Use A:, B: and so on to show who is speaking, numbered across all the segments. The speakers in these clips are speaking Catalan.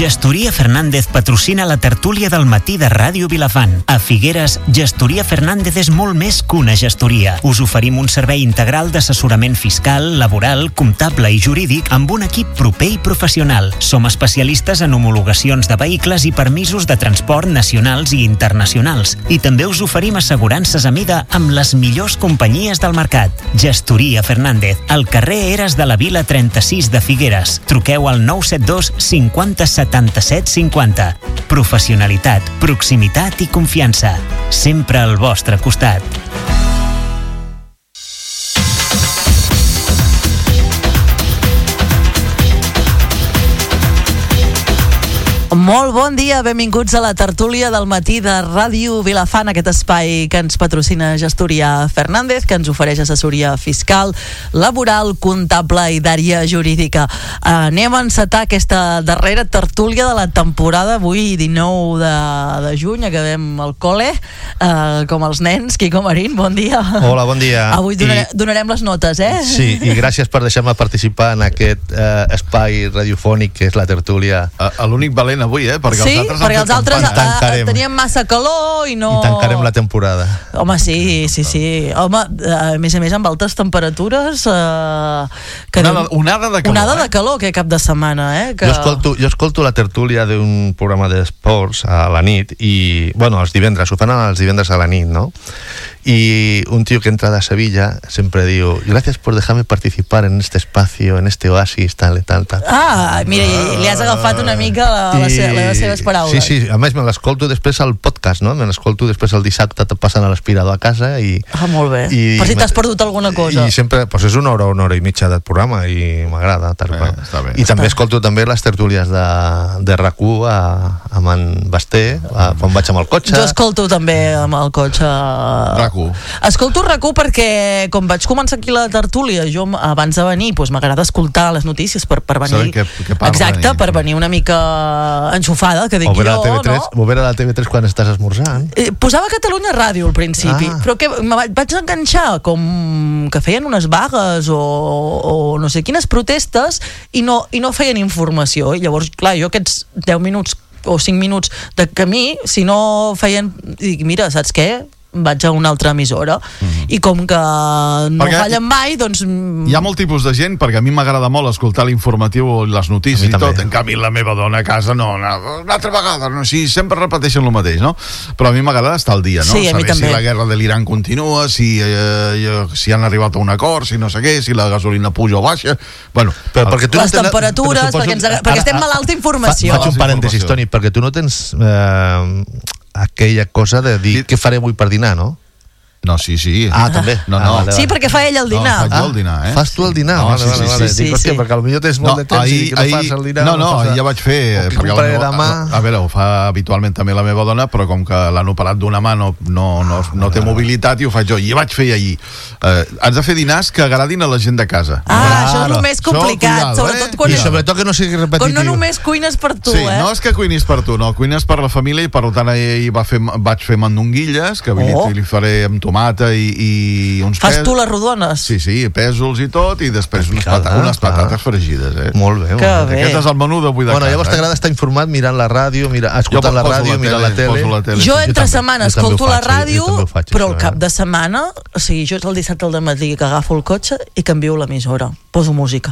A: Gestoria Fernández patrocina la tertúlia del matí de Ràdio Vilafant. A Figueres, Gestoria Fernández és molt més que una gestoria. Us oferim un servei integral d'assessorament fiscal, laboral, comptable i jurídic amb un equip proper i professional. Som especialistes en homologacions de vehicles i permisos de transport nacionals i internacionals. I també us oferim assegurances a mida amb les millors companyies del mercat. Gestoria Fernández, al carrer Eres de la Vila 36 de Figueres. Truqueu al 972 50 77 50. Professionalitat, proximitat i confiança. Sempre al vostre costat.
B: Molt bon dia, benvinguts a la tertúlia del matí de Ràdio Vilafant, aquest espai que ens patrocina Gestoria Fernández, que ens ofereix assessoria fiscal, laboral, comptable i d'àrea jurídica. Anem a encetar aquesta darrera tertúlia de la temporada, avui 19 de juny, acabem el col·le, com els nens. Quico Marín, bon dia.
C: Hola, bon dia.
B: Avui donarem les notes, eh?
C: Sí, i gràcies per deixar-me participar en aquest espai radiofònic que és la tertúlia.
D: L'únic valent avui, perquè
B: sí, els altres teníem massa calor i no...
C: I tancarem la temporada.
B: Home, sí. Home, a més amb altes temperatures...
D: Onada de calor.
B: Onada de calor, aquest cap de setmana, que...
C: Jo escolto la tertúlia d'un programa d'esports a la nit i, bueno, els divendres, ho fan els divendres a la nit, no? Y un tío que entra de Sevilla siempre digo, gracias por dejarme participar en este espacio, en este oasis, tal.
B: Ah, mira, li has agafat una mica les seves paraules.
C: Sí, a més me l'escolto després al podcast, no? Me l'escolto després el dissabte passant a l'aspirador a casa i...
B: Ah, molt bé. Per si t'has perdut alguna cosa.
C: I sempre, doncs és una hora i mitja del programa i m'agrada.
D: Està bé.
C: I també escolto també les tertúlies de RAC1 amb en Basté, quan vaig amb el cotxe.
B: Jo escolto també amb el cotxe... Escolto RAC1 perquè com vaig començar aquí la tertúlia, jo abans de venir m'agrada escoltar les notícies per venir. Exacte, per venir una mica enxufada, que dic jo, no?
C: O veure la TV3 quan estàs esmorzant.
B: Posava Catalunya Ràdio al principi, però que vaig enganxar com que feien unes vagues o no sé quines protestes i no feien informació, i llavors, clar, jo aquests 10 minuts o 5 minuts de camí, si no feien, dic, mira, saps què? Vaig a una altra emissora i com que no fallen mai, doncs...
D: Hi ha molt tipus de gent, perquè a mi m'agrada molt escoltar l'informatiu o les notícies i tot, en canvi la meva dona a casa no, una altra vegada, no, sí, sempre repeteixen el mateix, no? Però a mi m'agrada estar al dia, no?
B: Sí,
D: saber si la guerra de l'Iran continua, si han arribat a un acord, si no sé què, si la gasolina puja o baixa, bueno...
B: Les temperatures, perquè estem malalts d'informació.
C: Faig un parèntesis, Toni, perquè tu no tens... aquella cosa de dir què faré avui per dinar, no?
D: No, sí.
C: Ah, també?
D: No.
B: Sí, perquè fa ell el dinar.
D: Faig jo el dinar,
C: Fas tu el dinar?
D: Vale.
B: Sí.
C: Hòstia, perquè potser tens molt de temps i que no fas el dinar.
D: No, ja vaig fer... A veure, ho fa habitualment també la meva dona, però com que l'han operat d'una mà no té mobilitat i ho faig jo. I vaig fer ahir. Has de fer dinars que agradin a la gent de casa.
B: Això és el més complicat, sobretot quan...
C: I sobretot que no sigui repetitiu.
B: Quan no només cuines per tu,
D: Sí, no és que cuinis per tu, no, cuines per la família, i per tant ahir vaig fer mandonguilles, que li faré amb tomata i uns
B: Fas tu les rodones?
D: Sí, pèsols i tot, i després unes patates fregides,
C: Molt bé.
D: Aquest és el menú d'avui de casa.
C: Bueno, llavors t'agrada estar informat mirant la ràdio, escoltant la ràdio, mirant la tele.
B: Jo entre setmana escolto la ràdio, però el cap de setmana, o sigui, jo és el dissabte al dematí que agafo el cotxe i canvio l'emissora, poso música.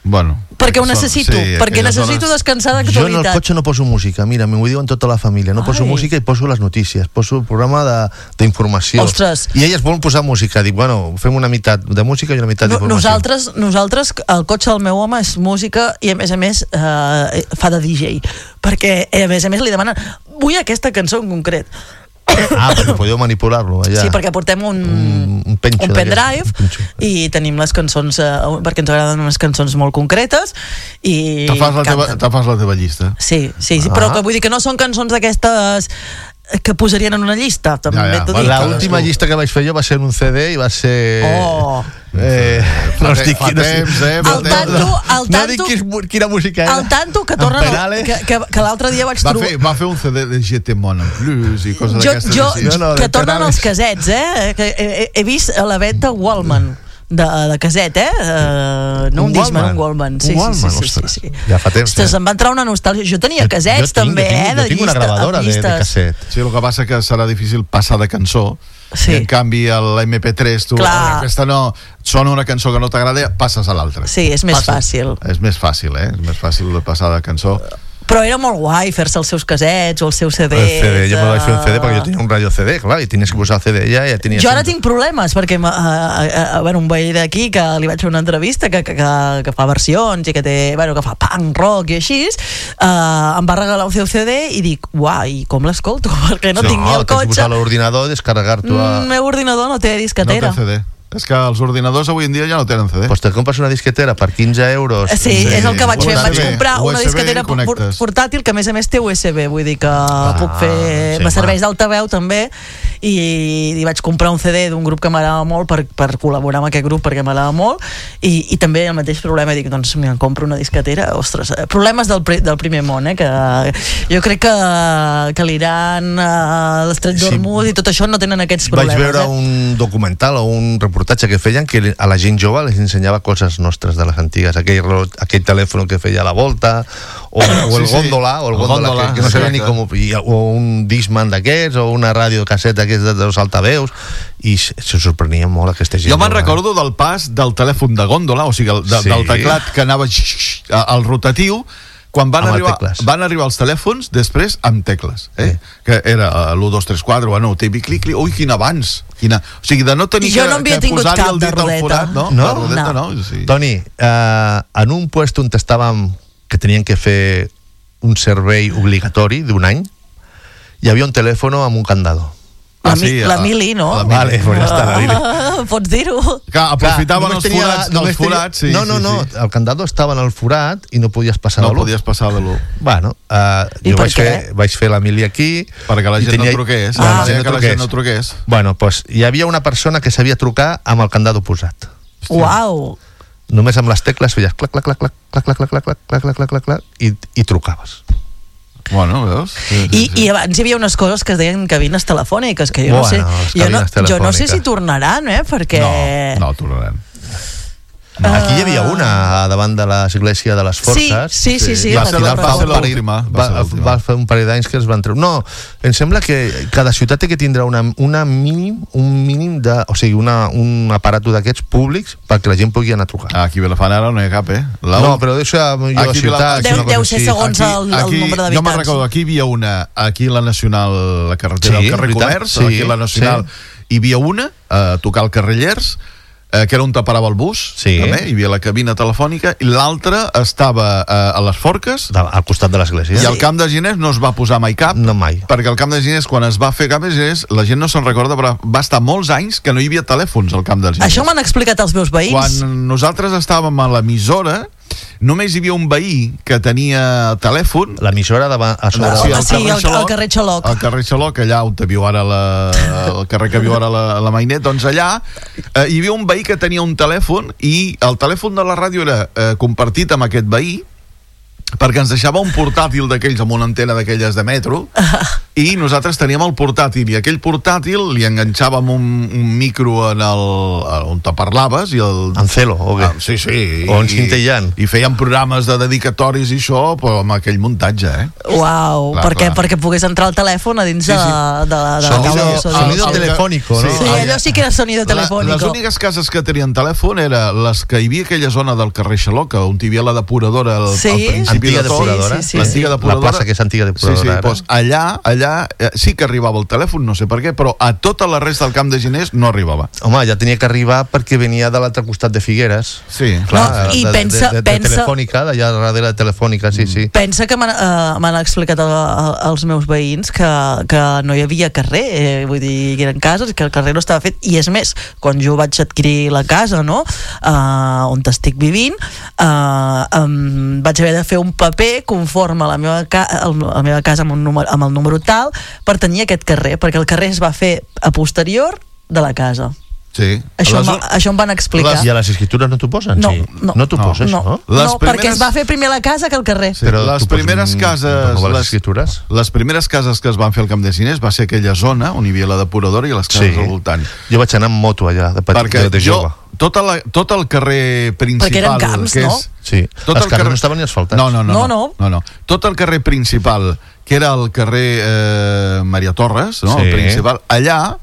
D: Bueno,
B: perquè ho necessito, perquè necessito descansar d'actualitat.
C: Jo en el cotxe no poso música, mira, m'ho diuen tota la família, no poso música i poso les notícies, poso el programa d'informació.
B: Ostres.
C: I elles volen posar música, dic, bueno, fem una meitat de música i una meitat d'informació.
B: Nosaltres, el cotxe del meu home és música i a més fa de DJ, perquè a més li demanen, vull aquesta cançó en concret.
C: Perquè podeu manipular-lo allà.
B: Sí, perquè portem un pendrive i tenim les cançons, perquè ens agraden unes cançons molt concretes i...
D: Te fas la teva llista.
B: Sí, però vull dir que no són cançons d'aquestes que posarien en una llista, també t'ho dic.
C: L'última llista que vaig fer jo va ser en un CD i va ser...
D: No
C: dic quina música era.
B: El tanto que tornen, que l'altre dia vaig trobar...
D: Va fer un CD de GT Mon en Plus i coses d'aquestes.
B: Que tornen els casets, que he vist a la venda Wallman. de caset, no un Discman, un Walkman. Sí.
C: Ja fa temps.
B: Ostres, em va entrar una nostàlgia. Jo tenia casets també,
C: jo tinc una gravadora de caset.
D: Sí, el que passa que serà difícil passar de cançó. Sí. I en canvi l'MP3 tu, aquesta no, sona una cançó que no t'agrada, passes a l'altra.
B: Sí, és més fàcil.
D: És més fàcil, és més fàcil de passar de cançó.
B: Però era molt guai fer-se els seus casets o els seus CDs.
C: El CD, jo me vaig fer un CD perquè jo tenia un radio CD, clar, i tenies que posar el CD ja tenia...
B: Jo ara tinc problemes perquè un veí d'aquí que li vaig fer una entrevista que fa versions i que fa punk, rock i així, em va regalar un seu CD i dic, uau, i com l'escolto? Perquè no tinc ni el cotxe.
C: Tens que posar l'ordinador i descarregar-t'ho a...
B: El meu ordinador no té disquetera.
D: No té CD. És que els ordinadors avui en dia ja no tenen CD.
C: Pues te compres una disquetera per 15 euros.
B: Sí, és el que vaig fer. Vaig comprar una disquetera portàtil que a més té USB, vull dir que puc fer... Me serveix d'altaveu també i vaig comprar un CD d'un grup que m'agrada molt per col·laborar amb aquest grup perquè m'agrada molt i també el mateix problema, dic, doncs em compro una disquetera, ostres, problemes del primer món, que jo crec que l'Iran, l'Estret d'Hormuz i tot això no tenen aquests problemes.
C: Vaig veure un documental o un reportatge que feien que a la gent jove les ensenyava coses nostres de les antigues, aquell telèfon que feia la volta o el góndola que no sabia ni com, o un Discman d'aquests o una ràdio casseta d'aquests dels altaveus, i se sorprenia molt aquesta gent.
D: Jo me'n recordo del pas del telèfon de góndola, o sigui del teclat que anava al rotatiu, quan van arribar els telèfons després amb tecles, que era l'1, 2, 3, 4, bueno, típic clic, ui, quin avanç, o sigui, de no tenir que posar-hi el dit al forat, no? La rodeta no.
C: Toni, en un puesto on estàvem, que tenien que fer un servei obligatori d'un any, hi havia un telèfon amb un candado.
B: La Mili, no?
C: Vale, pues ja està, la Mili.
B: Pots dir-ho.
D: Aprofitaven els forats.
C: No, el candado estava en el forat i no podies passar de l'1.
D: No podies passar de l'1.
C: Bueno, jo vaig fer la Mili aquí.
D: Perquè la gent no truqués. Que la gent no truqués.
C: Bueno, doncs hi havia una persona que sabia trucar amb el candado posat.
B: Uau!
C: Només amb les tecles feies clac, clac, clac, clac, clac, clac, clac, clac, clac, clac, clac, clac, clac, i trucaves.
D: Bueno, veus?
B: I abans hi havia unes coses que es deien cabines telefòniques, que jo no sé si tornaran, perquè...
D: No tornaran.
C: Aquí hi havia una davant de l'església de les Forques.
B: Sí.
D: Va
C: fer un parell d'anys que es van treure. No, em sembla que cada ciutat té que tindrà un mínim de... O sigui, un aparato d'aquests públics perquè la gent pugui anar a trucar.
D: Aquí a Vilafant ara no hi ha cap,
C: No, però deixo a la ciutat...
B: Deu ser segons el nombre d'habitants.
D: Jo me'n recordo, aquí hi havia una, aquí a la Nacional, la carretera del carrer Comerç, aquí a la Nacional, hi havia una, a tocar el carrer Llers, que era on te parava el bus, també, hi havia la cabina telefònica, i l'altra estava a les Forques,
C: al costat de l'església,
D: i al Camp de Ginés no es va posar mai cap, perquè al Camp de Ginés, quan es va fer Camp de Ginés, la gent no se'n recorda, però va estar molts anys que no hi havia telèfons al Camp de Ginés.
B: Això m'han explicat els meus veïns.
D: Quan nosaltres estàvem a l'emissora, només hi havia un veí que tenia telèfon.
C: L'emissora a sobre...
B: Sí, al carrer Xaloc.
D: Al carrer Xaloc, allà on viu ara el carrer que viu ara la Mainet, doncs allà hi havia un veí que tenia un telèfon i el telèfon de la ràdio era compartit amb aquest veí perquè ens deixava un portàtil d'aquells amb una antena d'aquelles de metro i nosaltres teníem el portàtil i aquell portàtil li enganxàvem un micro on te parlaves i
C: en celo, o què?
D: Sí.
C: O en cintillant.
D: I fèiem programes de dedicatoris i això, però amb aquell muntatge,
B: Uau, perquè pogués entrar el telèfon a dins de
C: sonido telefònico, no?
B: Sí, allò sí que era sonido telefònico.
D: Les úniques cases que tenien telèfon eren les que hi havia aquella zona del carrer Xaloc, on hi havia la depuradora al principi.
C: Antiga depuradora.
D: L'antiga depuradora.
C: La plaça que és antiga depuradora.
D: Doncs allà sí que arribava el telèfon, no sé per què, però a tota la resta del Camp de Ginés no arribava.
C: Home, ja tenia que arribar perquè venia de l'altre costat de Figueres.
D: Sí.
C: Clar, i pensa... Telefònica, d'allà darrere de Telefònica, sí.
B: Pensa que m'han explicat els meus veïns que no hi havia carrer, vull dir, que eren cases, que el carrer no estava fet, i és més, quan jo vaig adquirir la casa, no?, on estic vivint, vaig haver de fer un paper conforme a la meva casa amb el número tal per tenir aquest carrer, perquè el carrer es va fer a posterior de la casa.
D: Sí.
B: Això em van explicar.
C: I a les escritures no t'ho posen?
B: No.
C: No t'ho poses, no?
B: No, perquè es va fer primer la casa que el carrer.
D: Sí, però les primeres cases que es van fer al Camp de Ginés va ser aquella zona on hi havia la depuradora i les cases al voltant.
C: Jo vaig anar amb moto allà, de jove.
D: tot el carrer principal...
B: Perquè eren camps, no?
C: Sí, els carrers no estaven ni asfaltats.
D: No. Tot el carrer principal, que era el carrer Maria Torres, no?
C: Sí.
D: El principal, allà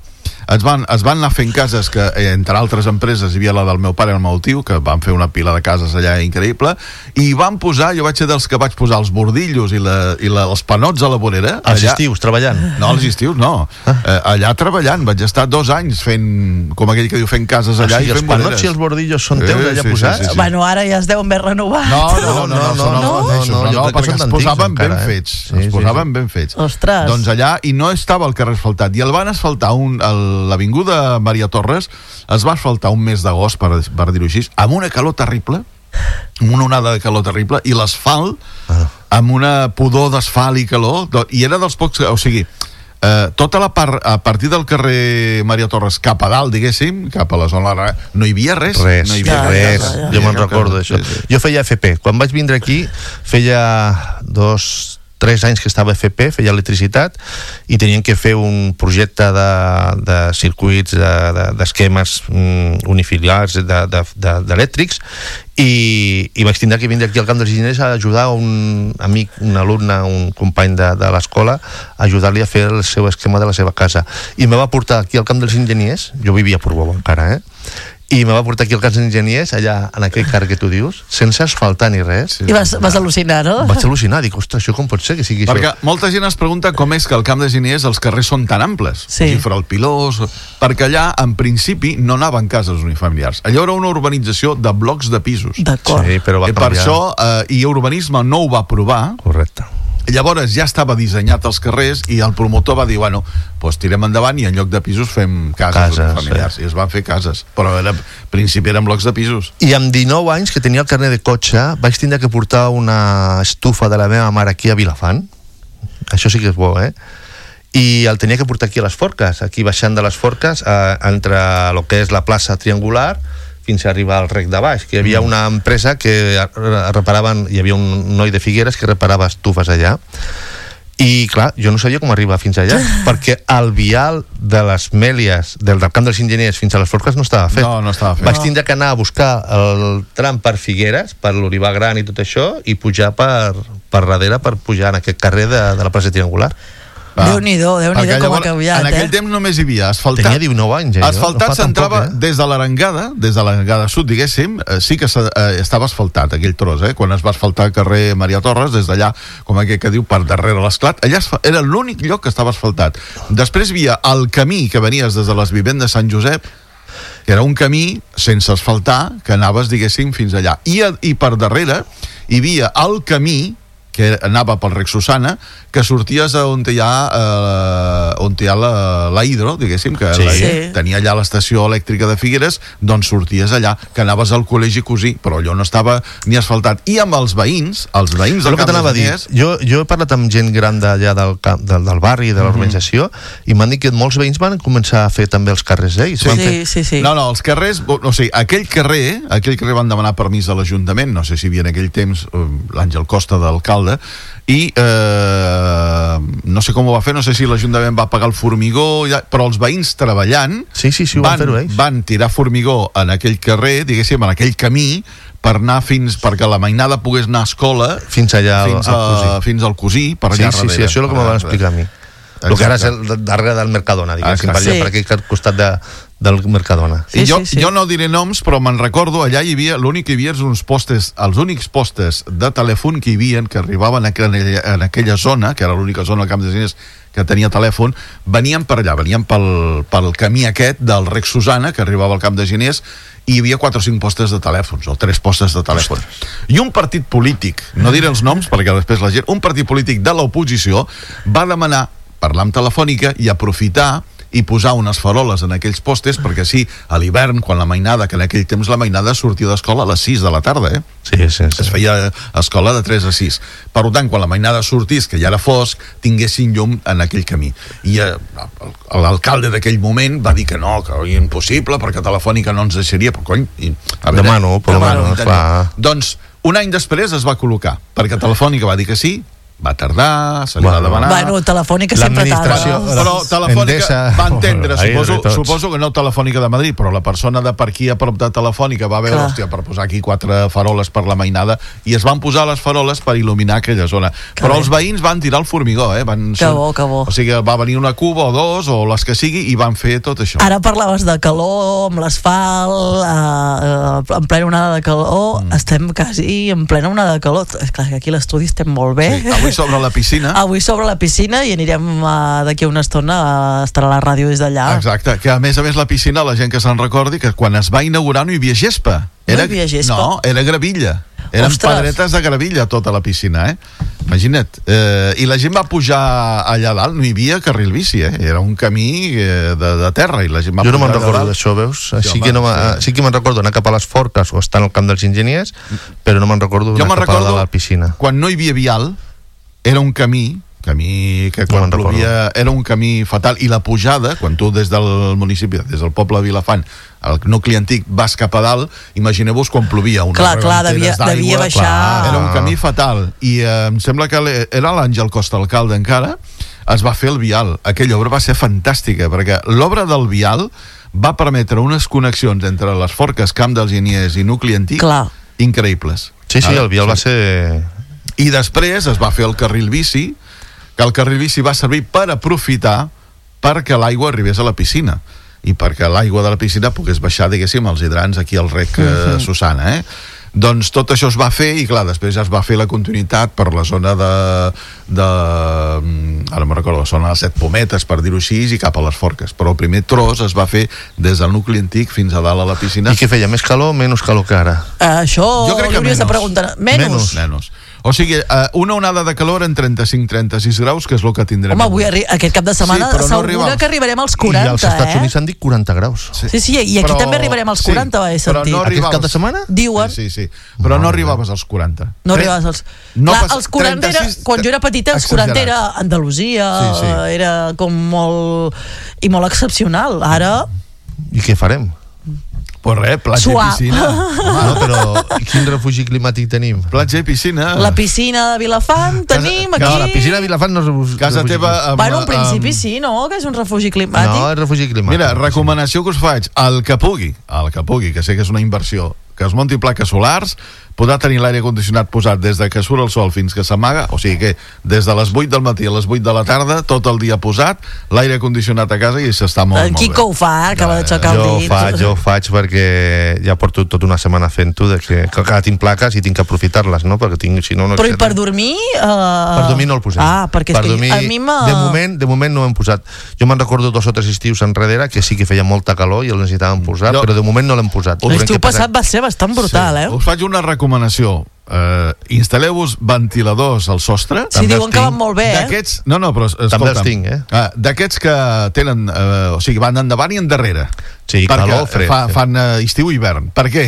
D: es van anar fent cases que, entre altres empreses, hi havia la del meu pare i el meu tio, que van fer una pila de cases allà increïble, i van posar, jo vaig ser dels que vaig posar els bordillos i els panots a la vorera.
C: Els estius, treballant?
D: No, els estius no. Allà treballant, vaig estar 2 anys fent, com aquell que diu, fent cases allà i fent voreres.
C: Els panots i els bordillos són teus allà posats?
B: Sí. Bueno, ara ja es deuen haver renovat.
D: No, perquè es posaven ben fets. Es posaven ben fets.
B: Ostres.
D: Doncs allà, i no estava el carrer asfaltat, i el van asfaltar l'avinguda Maria Torres es va asfaltar un mes d'agost, per dir-ho així, amb una calor terrible, amb una onada de calor terrible, i l'asfalt, amb una pudor d'asfalt i calor, i era dels pocs... O sigui, tota la part, a partir del carrer Maria Torres cap a dalt, diguéssim, cap a la zona, no hi havia res.
C: Res. Jo me'n recordo d'això. Jo feia FP. Quan vaig vindre aquí, feia 3 anys que estava a FP, feia electricitat, i tenien que fer un projecte de circuits, d'esquemes unifiliars d'elèctrics, i vaig tindre que vindre aquí al Camp dels Enginyers a ajudar un amic, un alumne, un company de l'escola, a ajudar-li a fer el seu esquema de la seva casa. I me va portar aquí al Camp dels Enginyers, jo vivia a Portbou encara, i me va portar aquí al Camp dels Enginyers, allà en aquell carrer que tu dius, sense asfaltar ni res.
B: I vas al·lucinar, no?
C: Vaig al·lucinar, dic, ostres, això com pot ser que sigui
D: perquè
C: això?
D: Perquè molta gent es pregunta com és que al Camp dels Enginyers els carrers són tan amples, Fralpilós, perquè allà, en principi, no anaven cases unifamiliars. Allò era una urbanització de blocs de pisos.
B: D'acord.
C: Sí, però va canviar.
D: Per això, i Urbanisme no ho va aprovar.
C: Correcte.
D: Llavors ja estava dissenyat els carrers i el promotor va dir, bueno, doncs tirem endavant i en lloc de pisos fem cases familiars. I es van fer cases, però al principi eren blocs de pisos.
C: I amb 19 anys, que tenia el carnet de cotxe, vaig tindre que portar una estufa de la meva mare aquí a Vilafant. Això sí que és bo, I el tenia que portar aquí a les Forques, aquí baixant de les Forques, entre el que és la plaça Triangular fins a arribar al rec de baix, que hi havia una empresa que reparaven, hi havia un noi de Figueres que reparava estufes allà, i clar, jo no sabia com arribar fins allà, perquè el vial de les Mèlies del Camp dels Enginyers fins a les Forques no estava fet.
D: No estava fet.
C: Vaig tindre que anar a buscar el tram per Figueres, per l'Olivar Gran i tot això, i pujar per darrere per pujar en aquest carrer de la plaça Triangular.
B: Déu-n'hi-do com ha canviat,
D: En aquell temps només hi havia asfaltat.
C: Tenia 19 anys,
D: Asfaltat s'entrava des de l'Arengada sud, diguéssim, sí que estava asfaltat aquell tros, quan es va asfaltar el carrer Maria Torres, des d'allà, com aquell que diu, per darrere l'Esclat, allà era l'únic lloc que estava asfaltat. Després hi havia el camí que venies des de les vivendes de Sant Josep, que era un camí sense asfaltar, que anaves, diguéssim, fins allà. I per darrere hi havia el camí que anava pel rec Susana, que sorties on hi ha la Hidro, diguéssim, que tenia allà l'estació elèctrica de Figueres, doncs sorties allà, que anaves al col·legi Cosí, però allò no estava ni asfaltat. I amb els veïns del Camp dels Enginyers...
C: Jo he parlat amb gent gran d'allà del barri, de l'urbanització, i m'han dit que molts veïns van començar a fer també els carrers ells.
B: Sí.
D: No, els carrers... O sigui, aquell carrer van demanar permís a l'Ajuntament, no sé si hi havia en aquell temps l'Àngel Costa d'alcalde, i no sé com ho va fer, no sé si l'Ajuntament va pagar el formigó, però els veïns treballant van tirar formigó en aquell carrer, diguéssim, en aquell camí, per anar perquè la mainada pogués anar a escola fins al Cosí, per allà darrere.
C: Sí, això és el que me van explicar a mi. El que ara és darrere del Mercadona, diguéssim, per aquell costat del Mercadona.
D: Jo no diré noms, però me'n recordo, allà hi havia, l'únic que hi havia és els únics postes de telèfon que hi havia, que arribaven en aquella zona, que era l'única zona al Camp dels Enginyers que tenia telèfon, venien per allà, venien pel camí aquest del rec Susana, que arribava al Camp dels Enginyers, i hi havia 4 o 5 postes de telèfons, o 3 postes de telèfon. I un partit polític, no diré els noms perquè després la gent, un partit polític de l'oposició va demanar parlar amb Telefònica i aprofitar i posar unes faroles en aquells postes, perquè sí, a l'hivern, quan la mainada, que en aquell temps la mainada sortia d'escola a les 6 de la tarda,
C: Sí.
D: Es feia escola de 3 a 6. Per tant, quan la mainada sortís, que ja era fosc, tinguessin llum en aquell camí. I l'alcalde d'aquell moment va dir que no, que era impossible, perquè Telefònica no ens deixaria, però cony...
C: Demano, clar.
D: Doncs, un any després es va col·locar, perquè Telefònica va dir que sí, va tardar, se li va demanar...
B: Bueno, Telefònica sempre tarda.
D: Però Telefònica va entendre, suposo que no Telefònica de Madrid, però la persona de per aquí a prop de Telefònica va veure, hòstia, per posar aquí 4 faroles per la mainada, i es van posar les faroles per il·luminar aquella zona. Però els veïns van tirar el formigó,
B: Que bo.
D: O sigui, va venir una cuba o 2, o les que sigui, i van fer tot això.
B: Ara parlaves de calor, amb l'asfalt, en plena onada de calor, estem quasi en plena onada de calor. És clar que aquí a l'estudi estem molt bé.
D: Sí, avui sobre la piscina.
B: Avui sobre la piscina, i anirem d'aquí a una estona a estar a la ràdio des d'allà.
D: Exacte, que a més la piscina, la gent que se'n recordi, que quan es va inaugurar no hi havia gespa.
B: No hi havia gespa?
D: No, era gravilla. Eren pedretes de gravilla tota la piscina, Imagina't. I la gent va pujar allà dalt, no hi havia carril bici, Era un camí de terra i la gent va pujar.
C: Jo no me'n recordo d'això, veus? Sí que me'n recordo anar cap a les Forques o estar al camp dels enginyers, però no me'n recordo anar cap a la piscina.
D: Quan no hi havia vial, era un camí que quan plovia era un camí fatal, i la pujada, quan tu des del municipi, des del poble de Vilafant, al nucli antic, vas cap a dalt, imagineu-vos quan plovia
B: clar, devia baixar.
D: Era un camí fatal, i em sembla que era l'Àngel Costa, alcalde encara, es va fer el vial. Aquella obra va ser fantàstica, perquè l'obra del vial va permetre unes connexions entre les Forques, Camp dels Enginyers i nucli antic increïbles.
C: Sí, el vial va ser...
D: I després es va fer el carril bici, que el carril bici va servir per aprofitar perquè l'aigua arribés a la piscina i perquè l'aigua de la piscina pogués baixar, diguéssim, als hidrants aquí al rec Susana, Doncs tot això es va fer, i clar, després ja es va fer la continuïtat per la zona ara me'n recordo, la zona de les 7 Pometes, per dir-ho així, i cap a les Forques. Però el primer tros es va fer des del nucli antic fins a dalt a la piscina.
C: I què feia, més calor o menys calor que ara?
B: Això hauries de preguntar. Menys.
D: O sigui, una onada de calor en 35-36 graus, que és el que tindrem.
B: Home, avui aquest cap de setmana segura que arribarem als 40,
C: I als Estats Units han dit 40 graus.
B: Sí, i aquí també arribarem als 40, va sentir.
C: Aquest cap de setmana?
B: Diuen.
D: Sí, però no arribaves als 40.
B: No arribaves als... Clar, els 40 era, quan jo era petita, els 40 era Andalusia, era com molt... i molt excepcional. Ara...
C: I què farem?
D: Pues res, platja i piscina.
C: No, però quin refugi climàtic tenim?
D: Platja i piscina.
B: La piscina de Vilafant tenim aquí.
C: No, la piscina de Vilafant no és refugi.
D: Casa teva...
B: Bueno, en principi sí, no? Que és un refugi climàtic.
C: No, és refugi climàtic.
D: Mira, recomanació que us faig. El que pugui, que sé que és una inversió, que es munti plaques solars, podrà tenir l'aire condicionat posat des de que surt el sol fins que s'amaga, o sigui que des de les 8 del matí a les 8 de la tarda, tot el dia posat, l'aire condicionat a casa, i s'està molt bé.
B: El Quico ho fa, acaba d'aixecar el dit.
C: Jo ho faig perquè ja porto tota una setmana fent-ho, que tinc plaques i tinc que aprofitar-les, no? Perquè tinc, si no...
B: Però i per dormir?
C: Per dormir no el posem.
B: Perquè és que a mi
C: de moment no ho hem posat. Jo me'n recordo 2 o 3 estius enrere que sí que feia molta calor i el necessitàvem posar, però de moment no l'hem posat.
B: L'estiu passat va ser bastant brutal,
D: Us faig una recomanació. Instal·leu-vos ventiladors al sostre.
B: Sí, diuen que van molt bé,
D: No, però escolta'm,
C: també els tinc,
D: d'aquests que tenen, o sigui, van endavant i endarrere.
C: Sí, calor, fred.
D: Fan estiu i hivern. Per què?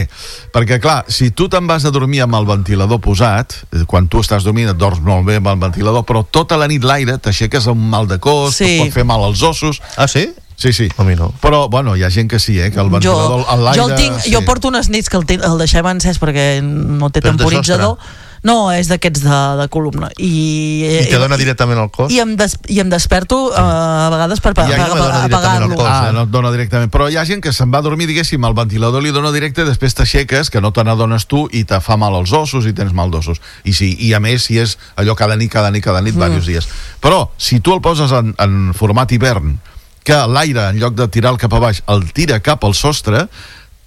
D: Perquè, clar, si tu te'n vas a dormir amb el ventilador posat, quan tu estàs dormint et dorms molt bé amb el ventilador, però tota la nit l'aire t'aixeques amb mal de cos, et pot fer mal als ossos.
C: Ah, sí?
D: Sí.
C: A mi no.
D: Però, bueno, hi ha gent que sí, que el ventilador a l'aire...
B: Jo porto unes nits que el deixem encès perquè no té temporitzador. No, és d'aquests de columna.
C: I te dona directament al cos?
B: I em desperto a vegades per apagar-lo.
D: No et dona directament. Però hi ha gent que se'n va a dormir, diguéssim, el ventilador li dona directe, després t'aixeques, que no te n'adones tu, i te fa mal als ossos i tens mal d'ossos. I a més, si és allò cada nit, diversos dies. Però, si tu el poses en format hivern, que l'aire, en lloc de tirar cap a baix, el tira cap al sostre,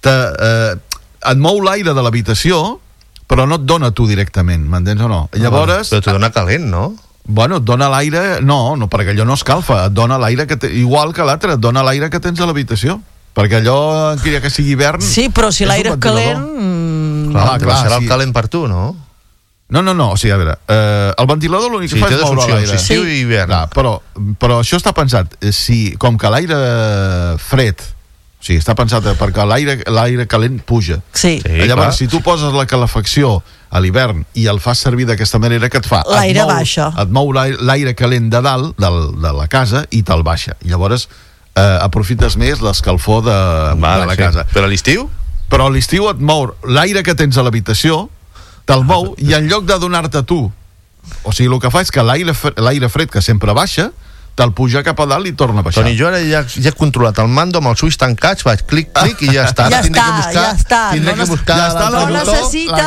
D: et mou l'aire de l'habitació, però no et dona tu directament, m'entens o no? Llavors...
C: Però te dona calent, no?
D: Bueno, et dona l'aire... No, perquè allò no escalfa, et dona l'aire igual que l'altre, et dona l'aire que tens a l'habitació. Perquè allò, que sigui hivern...
B: Sí, però si l'aire és calent...
C: Clar, serà el calent per tu, no?
D: No, o sigui, a veure, el ventilador l'únic que fa és moure l'aire.
C: Sí, i hivern.
D: Però això està pensat, com que l'aire fred, o sigui, està pensat perquè l'aire calent puja.
B: Sí.
D: Llavors, si tu poses la calefacció a l'hivern i el fas servir d'aquesta manera, que et fa?
B: L'aire baixa.
D: Et mou l'aire calent de dalt, de la casa, i te'l baixa. Llavors, aprofites més l'escalfor de la casa.
C: Però a l'estiu?
D: Però a l'estiu et mou l'aire que tens a l'habitació, te'l mou, i en lloc de donar-te tu O sigui, el que fa és que l'aire fred que sempre baixa te'l puja cap a dalt i torna a baixar.
C: Toni, jo ara ja he controlat el mando amb els ulls tancats, vaig clic i ja està.
B: Ja està.
C: Tindré que buscar
B: no necessita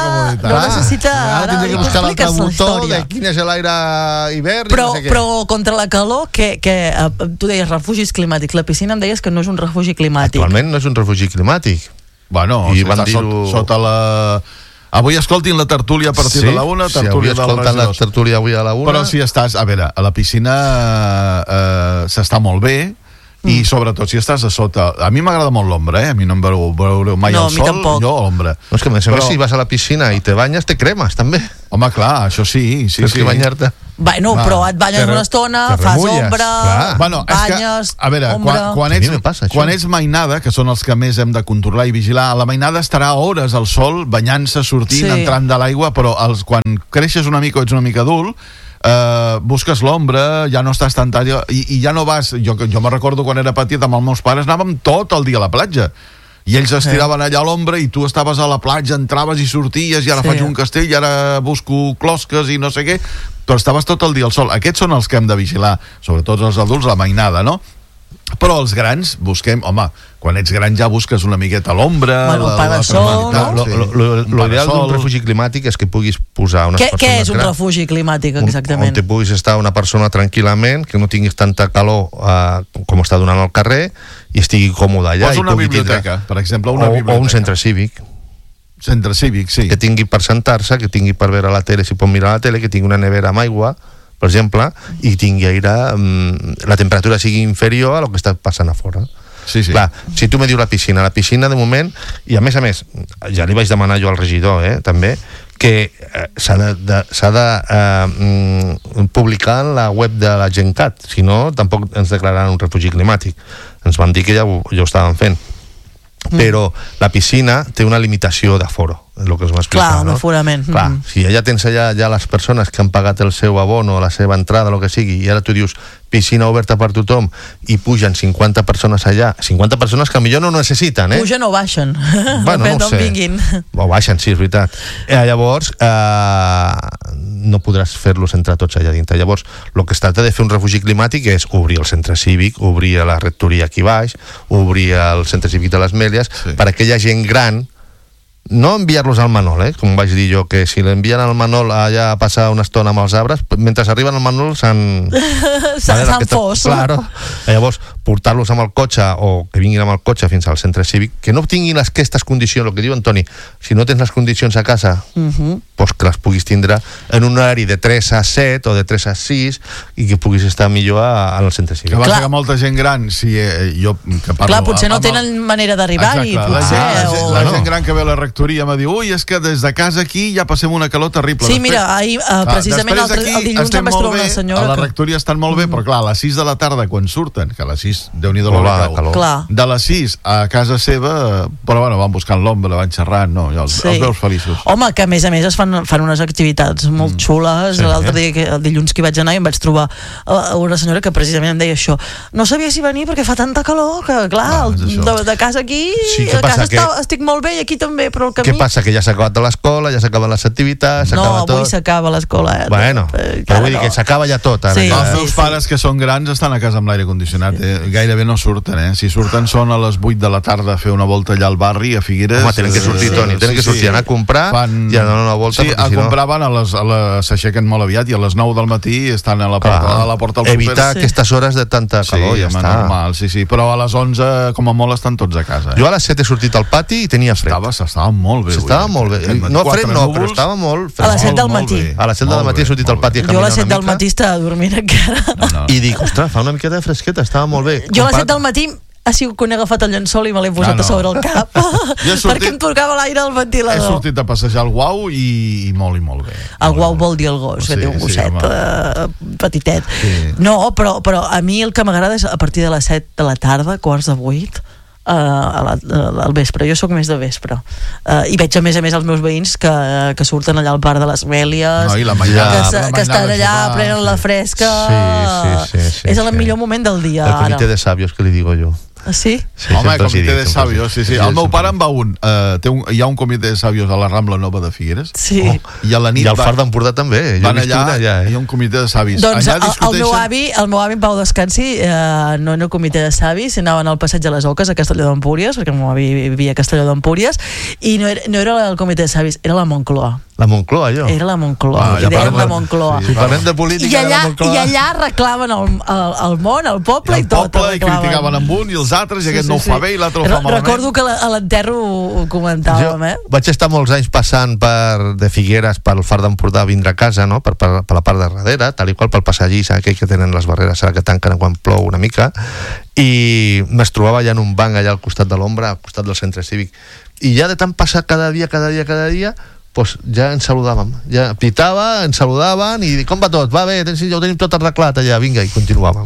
C: ara tindré que buscar l'altre botó de quin és l'aire hivern
B: però, i no sé què. Però contra la calor, que tu deies refugis climàtics, la piscina em deies que no és un refugi climàtic.
C: Actualment no és un refugi climàtic.
D: Bueno, i van dir-ho sota la... Avui escoltin la tertúlia a partir de la 1, tertúlia del
C: escoltant la tertúlia avui a la 1.
D: Però si estàs, a veure, a la piscina s'està molt bé, i sobretot si estàs a sota. A mi m'agrada molt l'ombra, a mi no em veureu mai al sol, jo a l'ombra.
C: No, és que més si vas a la piscina i te banyes, te cremes també.
D: Home, clar, això sí.
C: Tens que banyar-te.
B: Bueno, però et banyes una estona, fas ombra, banyes,
D: a veure, quan ets mainada, que són els que més hem de controlar i vigilar, la mainada estarà hores al sol, banyant-se, sortint, entrant de l'aigua, però quan creixes una mica o ets una mica adult, busques l'ombra, ja no estàs tan tard i ja no vas, jo me recordo quan era petit amb els meus pares anàvem tot el dia a la platja i ells es tiraven allà a l'ombra i tu estaves a la platja, entraves i sorties i ara faig un castell i ara busco closques i no sé què, però estaves tot el dia al sol. Aquests són els que hem de vigilar, sobretot els adults, la mainada, no? Però els grans busquem, home, quan ets gran ja busques una miqueta a l'ombra,
C: l'ideal d'un refugi climàtic és que puguis posar unes persones...
B: Què és un refugi climàtic, exactament?
C: On te puguis estar una persona tranquil·lament, que no tinguis tanta calor com està donant al carrer i estigui còmode allà.
D: Posa una biblioteca, per exemple,
C: o un centre cívic.
D: Centre cívic, sí.
C: Que tingui per sentar-se, que tingui per veure la tele, si pot mirar la tele, que tingui una nevera amb aigua, per exemple, i tingui aire, la temperatura sigui inferior a lo que està passant a fora.
D: Sí.
C: Clar, si tu me dius la piscina de moment, i a més, ja li vaig demanar jo al regidor, també, que s'ha de publicar en la web de la Gencat, si no, tampoc ens declararan un refugi climàtic. Ens van dir que ja ho estaven fent. Però la piscina té una limitació d'aforo, és el que es va explicar.
B: Clar, un aforament.
C: Clar, si ja tens allà les persones que han pagat el seu abono, la seva entrada, el que sigui, i ara tu dius piscina oberta per tothom i pugen 50 persones allà, 50 persones que millor no necessiten,
B: Pugen o baixen,
C: bueno,
B: depèn d'on vinguin.
C: O baixen, sí, és veritat. Llavors, no podràs fer-los entrar tots allà dintre. Llavors, el que es tracta de fer un refugi climàtic és obrir el centre cívic, obrir la rectoria aquí baix, obrir el centre cívic de les Mèlies, per a aquella gent gran, no enviar-los al Manol, com vaig dir jo, que si l'envien al Manol allà a passar una estona amb els arbres, mentre arriben al Manol s'han
B: fos.
C: Claro. Llavors, portar-los amb el cotxe o que vinguin amb el cotxe fins al centre cívic, que no tinguin aquestes condicions, el que diu Antoni, si no tens les condicions a casa, doncs que les puguis tindre en un horari de 3 a 7 o de 3 a 6 i que puguis estar millor al centre cívic.
D: Que passa que molta gent gran, si jo que parlo...
B: Clar, potser no tenen manera d'arribar-hi, potser...
D: La gent gran que ve a la rectoria me diu, ui, és que des de casa aquí ja passem una calor terrible.
B: Sí, mira, ahir, precisament el dilluns em vaig trobar una senyora...
D: A la rectoria estan molt bé, però clar, a les 6 de la tarda, quan surten, que a les 6, Déu-n'hi-do l'hora cau, de les 6 a casa seva, però bueno, van buscant l'ombra, van xerrant, no, ja els veus feliços.
B: Home, que a més es fan unes activitats molt xules. L'altre dia, el dilluns que hi vaig anar, i em vaig trobar una senyora que precisament em deia això. No sabia si venir perquè fa tanta calor que, clar, de casa aquí, a casa estic molt bé i aquí també, però el camí...
C: Què passa? Que ja s'ha acabat l'escola, ja s'acaben les activitats, s'acaba tot.
B: No, avui s'acaba l'escola.
C: Bueno, però vull dir que s'acaba ja tot.
D: Els meus pares, que són grans, estan a casa amb l'aire condicionat. Gairebé no surten, Si surten són a les 8 de la tarda a fer una volta allà al barri, a Figueres.
C: Home, tenen que sortir, Toni, tenen que sortir, anar a comprar i anar a una volta.
D: Sí, a comprar van s'aixequen molt aviat i a les 9 del matí estan a la porta del súper.
C: Evitar aquestes hores de tanta calor, ja està.
D: Normal, sí, però a les 11, com a molt, estan tots a casa.
C: Jo a les 7 he sortit al pati i tenia fred.
D: Estava molt bé.
C: Estava molt bé. No fred no, però estava molt fred.
B: A les 7 del matí.
C: A les 7 del matí he sortit al pati a caminar una mica.
B: Jo a les 7 del matí estava dormint encara.
C: I dic, ostres, fa una miqueta de fresqueta, estava molt bé.
B: Jo a les 7 del matí ha sigut quan he agafat el llençol i me l'he posat a sobre el cap perquè em tocava l'aire al ventilador.
D: He sortit a passejar el guau i molt bé.
B: El guau vol dir el gos, que té un gosset petitet. No, però a mi el que m'agrada és a partir de les 7 de la tarda, quarts de 8, al vespre. Jo sóc més de vespre i veig a més els meus veïns que surten allà al parc de les Mèlies, que estan allà, prenen la fresca. És el millor moment del dia.
C: El comité de sabios, que li digo jo.
B: Sí?
D: Home, comitè de sabios, sí. El meu pare en va un. Hi ha un comitè de sabios a la Rambla Nova de Figueres.
B: Sí.
D: I a la nit
C: I al Far d'Empordà també.
D: Van allà, hi ha un comitè de savis.
B: Doncs el meu avi en Pau Descansi no era el comitè de savis, anaven al passeig de les Oques a Castelló d'Empúries, perquè el meu avi vivia a Castelló d'Empúries, i no era el comitè de savis, era la Moncloa.
C: La Moncloa, allò?
B: Era la Moncloa, i deien la Moncloa.
C: Si parlem de política de la Moncloa...
B: I allà reclamen el món, el poble i tot.
D: I criticaven amb un i els altres, i aquest no ho fa bé i l'altre ho fa malament.
B: Recordo que a l'enterro ho comentàvem,
C: Vaig estar molts anys passant de Figueres pel Far d'Empordà a vindre a casa, no? per la part de darrere, tal i qual pel passadís aquell que tenen les barreres que tanquen quan plou una mica, i me's trobava allà en un banc allà al costat de l'ombra, al costat del centre cívic, i ja de tant passar cada dia pues ja ens saludàvem, ja pitava, ens saludaven i com va tot? Va bé, ja ho tenim tot arreglat allà, vinga, i continuàvem.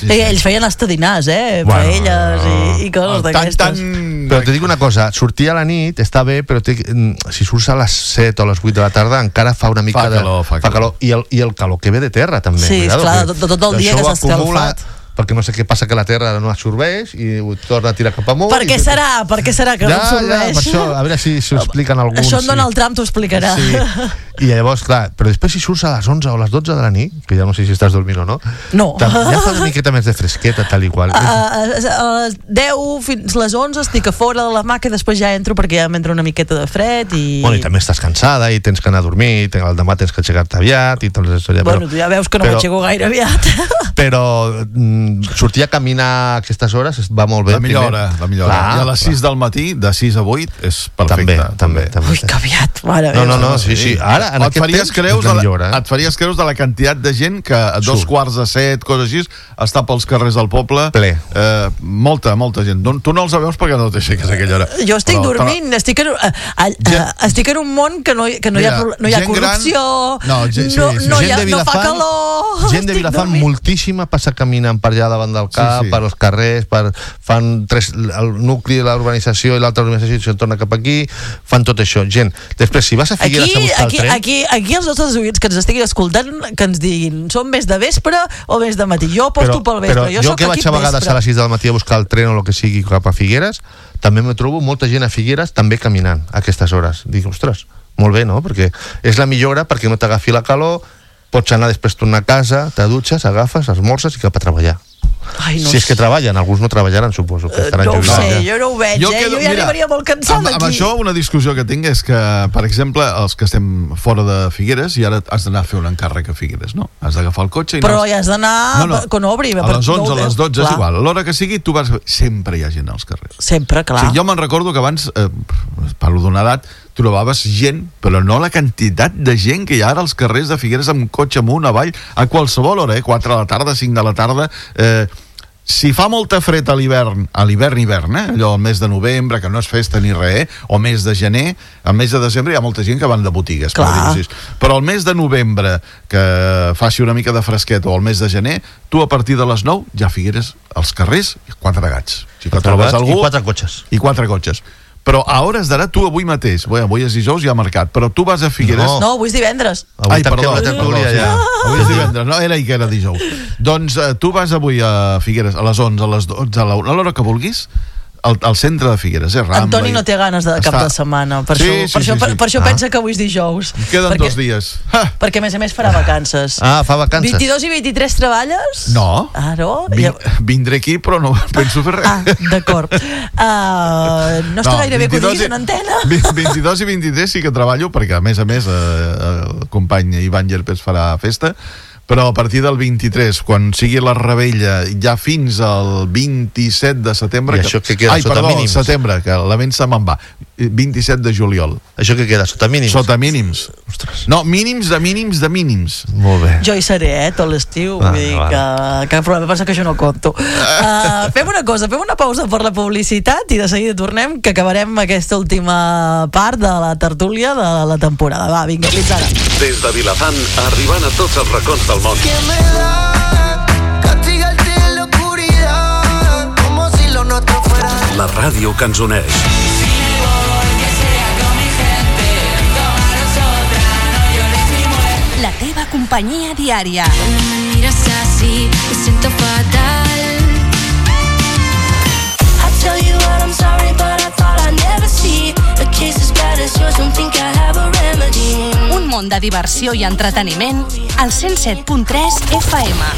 B: Ells feien estadinars, paelles i coses d'aquestes.
C: Però te dic una cosa, sortir a la nit està bé, però si surts a les 7 o a les 8 de la tarda encara fa una mica fa calor. I el calor que ve de terra també.
B: Sí, esclar, tot el dia que s'ha escalfat.
C: Perquè no sé què passa, que la terra no absorbeix i ho torna a tirar cap amunt.
B: Per què serà que no absorbeix?
C: Per això, a veure si ho expliquen alguns.
B: Això en Donald Trump t'ho explicarà.
C: Sí. I llavors, clar, però després si surts a les 11 o a les 12 de la nit, que ja no sé si estàs dormint o no, ja fa una miqueta més de fresqueta, tal i qual.
B: A les 10 fins a les 11 estic a fora de la maca i després ja entro perquè ja m'entra una miqueta de fred i...
C: Bueno, i també estàs cansada i tens que anar a dormir, el demà tens que aixecar-te aviat i tot això.
B: Bueno, tu ja veus que no m'aixeco gaire aviat.
C: Però sortir a caminar a aquestes hores va molt bé.
D: La millor hora. I a les 6 del matí, de 6 a 8, és perfecte.
C: També.
B: Ui, que aviat, mare
C: meva. No, sí. Ara, en aquest temps,
D: et faries creus de la quantitat de gent que a 2:45, coses així, està pels carrers del poble.
C: Ple.
D: Molta gent. Tu no els veus perquè no t'aixeques a aquella hora.
B: Jo estic dormint, estic en un món que no hi ha corrupció, no fa calor.
C: Gent de Vilafant moltíssima passa caminant per allà davant del cap, per els carrers, fan el nucli de l'urbanització i l'altra urbanització i se'n torna cap aquí, fan tot això. Gent, després, si vas a Figueres a buscar el tren...
B: Aquí els nostres oients que ens estiguin escoltant, que ens diguin, són més de vespre o més de matí? Jo aposto pel vespre.
C: Però jo que vaig a vegades a les 6 del matí a buscar el tren o el que sigui cap a Figueres, també me trobo molta gent a Figueres també caminant a aquestes hores. Dic, ostres, molt bé, no? Perquè és la millor hora perquè no t'agafi la calor, pots anar després tornar a casa, te dutxes, agafes, esmorces i cap a treballar. Si és que treballen, alguns no treballaran, suposo que estaran
B: jubilats. No ho sé, jo no ho veig, jo ja arribaria molt cansat aquí.
D: Amb això una discussió que tinc és que, per exemple, els que estem fora de Figueres i ara has d'anar a fer un encàrrec a Figueres, no? Has d'agafar el cotxe i...
B: Però ja has d'anar quan obri.
D: A les 11, a les 12 és igual, a l'hora que sigui tu vas... Sempre hi ha gent als carrers.
B: Sempre, clar.
D: Jo me'n recordo que abans, parlo d'una edat, trobaves gent, però no la quantitat de gent que hi ha ara als carrers de Figueres amb cotxe amunt, avall, a qualsevol hora, 4 de la tarda, 5 de la tarda. Si fa molta fred a l'hivern, allò al mes de novembre, que no és festa ni res, o mes de gener, al mes de desembre hi ha molta gent que van de botigues, però al mes de novembre, que faci una mica de fresquet, o al mes de gener, tu a partir de les 9 ja Figueres als carrers, 4 gats.
C: Si trobes algú, i 4 cotxes.
D: I 4 cotxes. Però a hores d'ara, tu avui mateix, avui és dijous, ja ha marcat, però tu vas a Figueres...
B: No, avui és divendres.
D: Perdó. Avui és divendres, no, era que era dijous. Doncs tu vas avui a Figueres a les 11, a les 12, a l'hora que vulguis, al centre de Figueres, Rambla.
B: Antoni no té ganes de cap de setmana, per això pensa que avui és dijous.
D: Queden 2 dies.
B: Perquè a més farà vacances.
C: Fa vacances.
B: 22 i 23 treballes?
D: No.
B: No?
D: Vindré aquí, però no penso fer res.
B: D'acord. No està gaire bé que ho diguis en antena.
D: 22 i 23 sí que treballo, perquè a més el company Ivan Llerpes farà festa, però a partir del 23, quan sigui la revetlla, ja fins al 27 de setembre...
C: I això que queda sota mínims?
D: Setembre, que la ment se me'n va. 27 de juliol.
C: Això que queda sota mínims?
D: Sota mínims.
C: Ostres.
D: No, mínims de mínims de mínims.
C: Molt bé.
B: Jo hi seré, tot l'estiu. Vull dir que problema, passa que jo no conto. Fem una cosa, fem una pausa per la publicitat i de seguida tornem, que acabarem aquesta última part de la tertúlia de la temporada. Va, vinga, fins ara.
E: Des de Vilafant, arribant a tots els racons del món.
F: Que me da, castigarte en la oscuridad, como si lo nuestro fuera.
E: La ràdio que ens uneix.
G: La teva companyia diària.
H: No me miras así, me siento fatal. I'm sorry, but I thought I'd never see a case as bad as yours. Don't think I have a remedy.
G: Un món de diversió i entreteniment al 107.3 FM.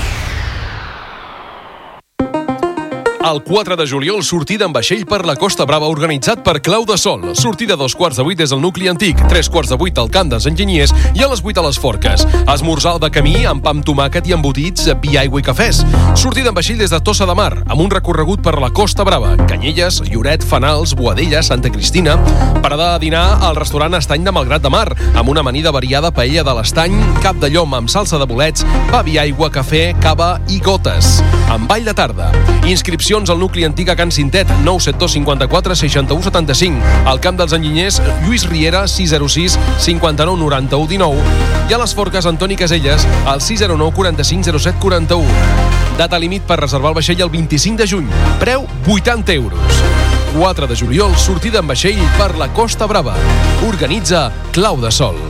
I: El 4 de juliol, sortida en vaixell per la Costa Brava, organitzat per Clau de Sol. Sortida a 7:45 des del nucli antic, 7:45 al camp dels enginyers i a les 8 a les Forques. Esmorzar de camí amb pa amb tomàquet i embotits, vi, aigua i cafès. Sortida en vaixell des de Tossa de Mar, amb un recorregut per la Costa Brava. Canyelles, Lloret, Fanals, Boadella, Santa Cristina. Parada a dinar al restaurant Estany de Malgrat de Mar, amb una amanida variada paella de l'Estany, cap de llom amb salsa de bolets, pa, vi, aigua, cafè, cava i gotes. Amb ball de tarda. Inscripcions al nucli antic a Can Cintet, 972 54 61 75. Al camp dels enginyers, Lluís Riera, 606 59 91 19. I a les Forques, Antoni Caselles, al 609 45 07 41. Data límit per reservar el vaixell el 25 de juny. Preu 80 euros. 4 de juliol, sortida en vaixell per la Costa Brava. Organitza Clau de Sol.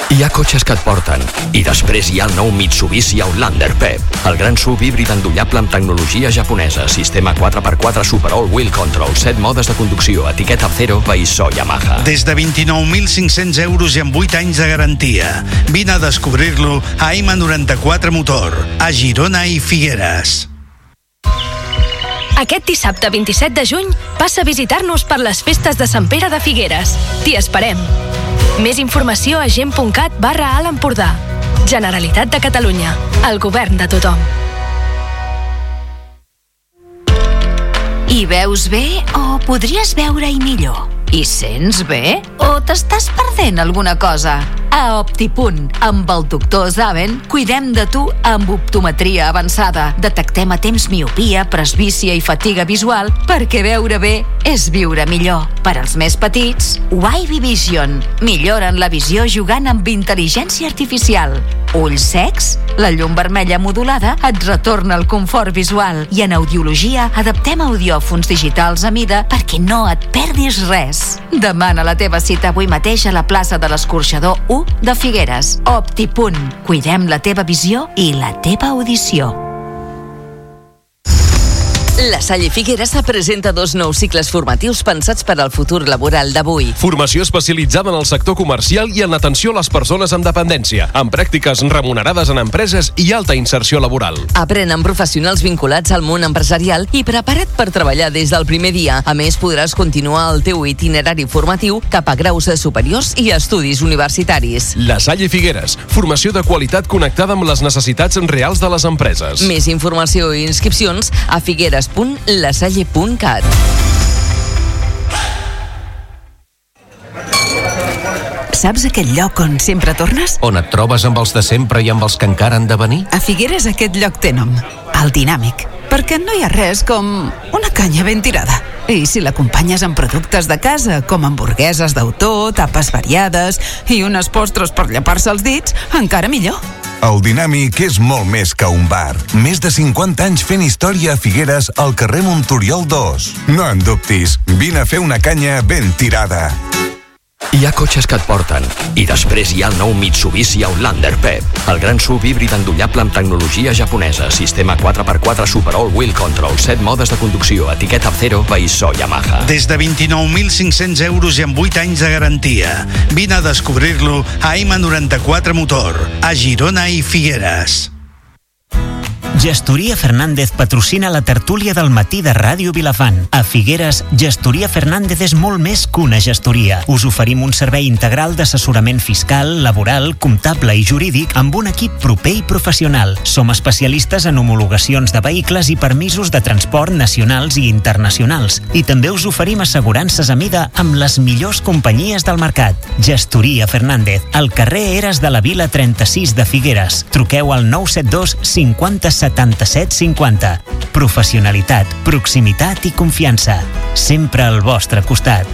J: Hi ha cotxes que et porten. I després hi ha el nou Mitsubishi Outlander PHEV, el gran SUV híbrid endollable amb tecnologia japonesa, sistema 4x4 Super All-Wheel Control, 7 modes de conducció, etiqueta Zero, Veissó, Yamaha.
K: Des de 29.500 euros i amb 8 anys de garantia. Vine a descobrir-lo a M94 Motor, a Girona i Figueres.
L: Aquest dissabte 27 de juny passa a visitar-nos per les festes de Sant Pere de Figueres. T'hi esperem. Més informació a gent.cat/Alt Empordà. Generalitat de Catalunya. El govern de tothom.
M: Hi veus bé o podries veure-hi millor? Hi sents bé o t'estàs perdent alguna cosa? A Optipunt, amb el doctor Zaven, cuidem de tu amb optometria avançada. Detectem a temps miopia, presbícia i fatiga visual perquè veure bé és viure millor. Per als més petits, Wavy Vision. Milloren la visió jugant amb intel·ligència artificial. Ulls secs? La llum vermella modulada et retorna el confort visual. I en audiologia adaptem audiòfons digitals a mida perquè no et perdis res. Demana la teva cita avui mateix a la plaça de l'Escorxador 1 de Figueres. Optipunt. Cuidem la teva visió i la teva audició.
N: La Salle Figueres presenta 2 nous cicles formatius pensats per al futur laboral d'avui.
I: Formació especialitzada en el sector comercial i en l'atenció a les persones amb dependència, amb pràctiques remunerades en empreses i alta inserció laboral.
N: Aprèn amb professionals vinculats al món empresarial i preparat per treballar des del primer dia. A més, podràs continuar el teu itinerari formatiu cap a graus superiors i estudis universitaris.
I: La Salle Figueres, formació de qualitat connectada amb les necessitats reals de les empreses.
N: Més informació i inscripcions a figueres.lasalle.cat.
O: Saps aquell lloc on sempre tornes?
P: On et trobes amb els de sempre i amb els que encara han de venir?
O: A Figueres aquest lloc té nom, el Dinàmic, perquè no hi ha res com una canya ben tirada. I si l'acompanyes amb productes de casa, com hamburgueses d'autor, tapes variades i unes postres per llepar-se els dits, encara millor.
Q: El Dinàmic és molt més que un bar. Més de 50 anys fent història a Figueres al carrer Montoriol 2. No en dubtis, vine a fer una canya ben tirada.
J: Hi ha cotxes que et porten. I després hi ha el nou Mitsubishi Outlander PHEV, el gran SUV híbrid endollable amb tecnologia japonesa, sistema 4x4 Super All-Wheel Control, 7 modes de conducció, etiqueta Zero, Veissó, Yamaha.
K: Des de 29.500 euros i amb 8 anys de garantia. Vine a descobrir-lo a M94 Motor, a Girona i Figueres.
A: Gestoria Fernández patrocina la tertúlia del matí de Ràdio Vilafant. A Figueres, Gestoria Fernández és molt més que una gestoria. Us oferim un servei integral d'assessorament fiscal, laboral, comptable i jurídic amb un equip proper i professional. Som especialistes en homologacions de vehicles i permisos de transport nacionals i internacionals. I també us oferim assegurances a mida amb les millors companyies del mercat. Gestoria Fernández, al carrer Eres de la Vila 36 de Figueres. Truqueu al 972 50 77 50. Professionalitat, proximitat i confiança. Sempre al vostre costat.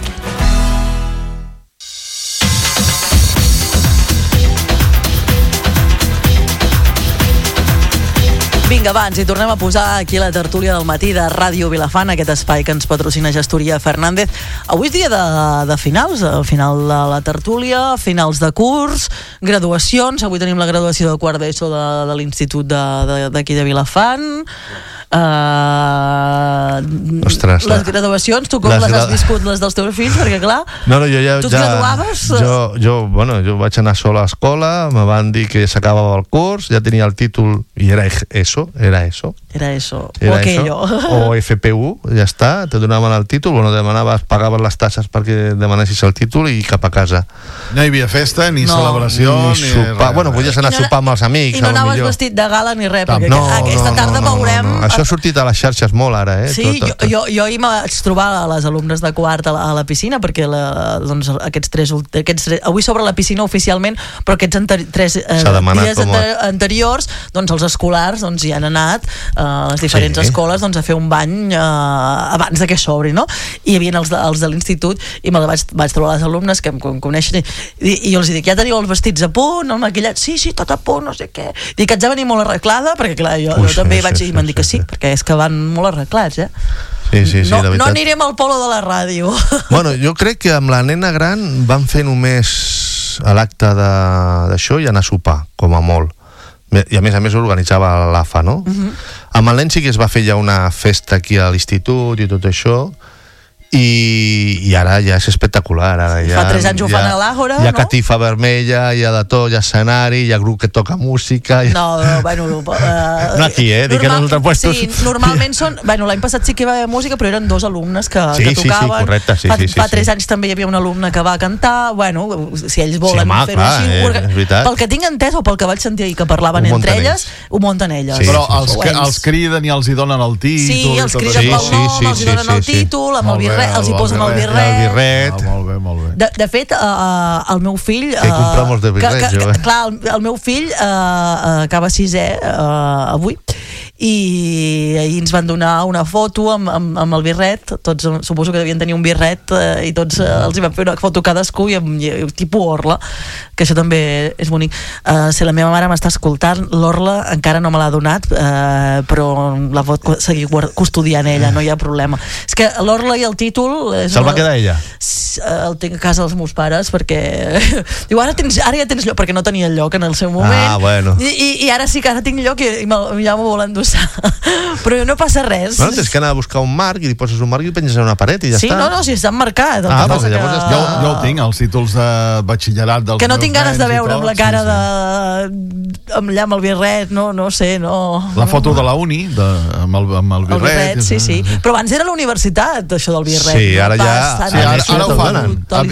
B: Vinga, va, ens hi tornem a posar aquí a la tertúlia del matí de Ràdio Vilafant, aquest espai que ens patrocina Gestoria Fernández. Avui és dia de finals, final de la tertúlia, finals de curs, graduacions. Avui tenim la graduació de quart d'ESO de l'Institut d'aquí de Vilafant.
C: Ostres,
B: les graduacions, tu com les has viscut, les dels teus fills? Perquè clar, tu et graduaves...
C: Jo vaig anar sol a l'escola, me van dir que s'acabava el curs, ja tenia el títol i era eso, o aquello. O FPU, ja està, te donaven el títol, pagaven les tasses perquè demanessis el títol i cap a casa.
D: No hi havia festa, ni celebració, ni
C: sopar. Bueno, podies anar a sopar amb els amics.
B: I no anaves vestit de gala ni res, perquè aquesta tarda veurem...
C: Això ha sortit a les xarxes molt ara,
B: Sí, jo ahir me vaig trobar a les alumnes de quart a la piscina, perquè aquests tres avui s'obre la piscina oficialment, però aquests tres dies anteriors, doncs els escolars hi han anat a les diferents escoles a fer un bany abans que s'obri, no? I hi havia els de l'institut i me vaig trobar les alumnes que em coneixen i jo els dic, ja teniu els vestits a punt, el maquillat? Sí, tot a punt, no sé què. Dic, haig de venir molt arreglada, perquè clar, jo també vaig dir, m'han dit que sí, perquè és que van molt arreglats,
C: Sí,
B: la veritat. No anirem al polo de la ràdio.
C: Bueno, jo crec que amb la nena gran van fer només l'acte d'això i anar a sopar, com a molt. I a més organitzava l'AFA, no? Amb el nen sí que es va fer ja una festa aquí a l'institut i tot això, i ara ja és espectacular.
B: Fa 3 anys ho fan a l'Àgora, no?
C: Hi ha catifa vermella, hi ha de tot, hi ha escenari, hi ha grup que toca música...
B: No,
C: no aquí, dic que en els altres puestos...
B: Sí, normalment són... L'any passat sí que hi va haver música, però eren 2 alumnes que tocaven.
C: Sí, correcte,
B: Fa 3 anys també hi havia una alumna que va cantar, si ells volen fer-ho així... Pel que tinc entès, o pel que vaig sentir que parlaven entre elles, ho munten elles.
D: Però els criden i els hi donen el títol...
B: Sí, els criden pel nom, els hi donen el títol, amb el birret, els hi posen el birret.
C: Molt bé.
B: De fet, el meu fill...
C: Que comprar molts de birrets, jo.
B: Clar, el meu fill acaba 6è avui, i ahir ens van donar una foto amb el birret, tots suposo que devien tenir un birret, i tots els hi van fer una foto cadascú i amb tipus orla, que això també és bonic. Si la meva mare m'està escoltant, l'orla encara no me l'ha donat, però la pot seguir custodiant ella, no hi ha problema. És que l'orla i el títol...
C: Se'l va quedar ella?
B: El tinc a casa dels meus pares, perquè diu, ara ja tens lloc, perquè no tenia lloc en el seu moment,
C: bueno.
B: I ara sí que ara tinc lloc i ja m'ho volen endossar. Però no passa res.
C: Bueno, tens que anar a buscar un marc i li poses un marc i penges a una paret i ja està.
B: Sí, no, si està marcat.
D: Jo el tinc, els títols de batxillerat dels meus nens.
B: Que no tinc ganes de veure amb la cara amb el birret, no sé, no...
D: La foto de la uni, amb el birret.
B: Sí. Però abans era la universitat, això del birret.
C: Sí, ara ja...
D: Ara ho fan.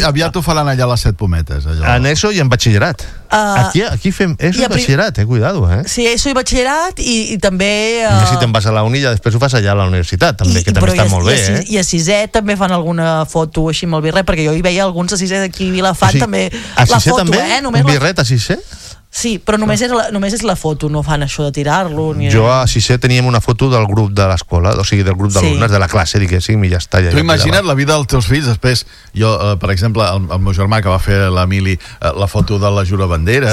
D: Aviat ho faran allà a les 7 pometes.
C: En ESO i en batxillerat. Aquí fem ESO i batxillerat, cuidado,
B: Sí, ESO i batxillerat i també...
C: I si te'n vas a la uni ja després ho fas allà a la universitat, també, que també està molt bé,
B: I a 6è també fan alguna foto així amb el birret, perquè jo hi veia alguns a 6è d'aquí a Vilafant, també la foto,
C: també? Un birret a 6è?
B: Sí, però només és la foto, no fan això de tirar-lo.
C: Jo a 6è teníem una foto del grup de l'escola, o sigui, del grup d'alumnes de la classe, diguéssim, i ja està.
D: Tu imagina't la vida dels teus fills després. Jo, per exemple, el meu germà que va fer l'Emili, la foto de la Jurabandera.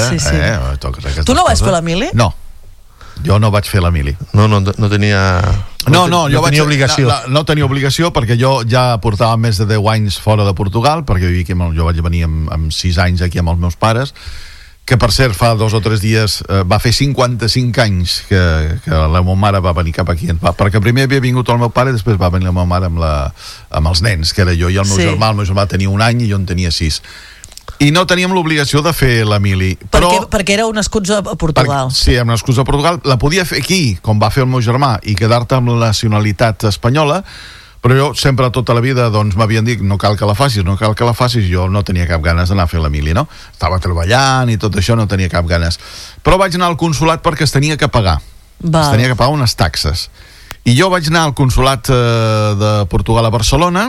B: Tu no vas fer l'Emili?
D: No, jo no vaig fer l'Emili.
C: No tenia...
D: No, jo tenia obligació. No tenia obligació perquè jo ja portava més de 10 anys fora de Portugal, perquè jo vaig venir amb 6 anys aquí amb els meus pares, que per cert fa 2 o 3 dies va fer 55 anys que la meva mare va venir cap aquí, perquè primer havia vingut el meu pare i després va venir la meva mare amb els nens, que era jo i el meu germà. El meu germà tenia 1 any i jo en tenia 6. I no teníem l'obligació de fer l'Emili.
B: Perquè éreu nascuts a Portugal.
D: Sí, érem nascuts a Portugal. La podia fer aquí, com va fer el meu germà, i quedar-te amb la nacionalitat espanyola, però jo sempre tota la vida m'havien dit no cal que la facis, jo no tenia cap ganes d'anar a fer l'Emili, no? Estava treballant i tot això, no tenia cap ganes. Però vaig anar al consulat perquè es tenia que pagar. Es tenia que pagar unes taxes. I jo vaig anar al consulat de Portugal a Barcelona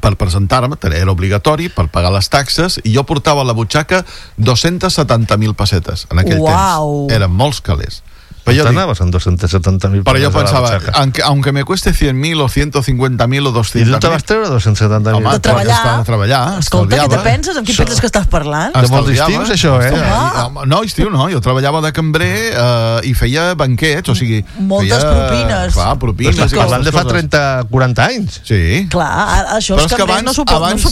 D: per presentar-me, era obligatori per pagar les taxes, i jo portava a la butxaca 270.000 pessetes en aquell temps. Eren molts calés.
C: Pero anaves en 270.000.
D: Pero yo pensaba, aunque me cueste 100.000 o 150.000 o 200.000...
C: I tu te vas treure 270.000?
B: Home, de treballar. Escolta, què te penses? Amb qui penses que estàs parlant?
C: De molts estius, això,
D: No, estiu no. Jo treballava de cambrer i feia banquets, o sigui...
B: Moltes propines.
D: Clar, propines.
C: Però parlant de fa 30-40 anys.
D: Sí.
B: Clar, això els cambrers no s'ho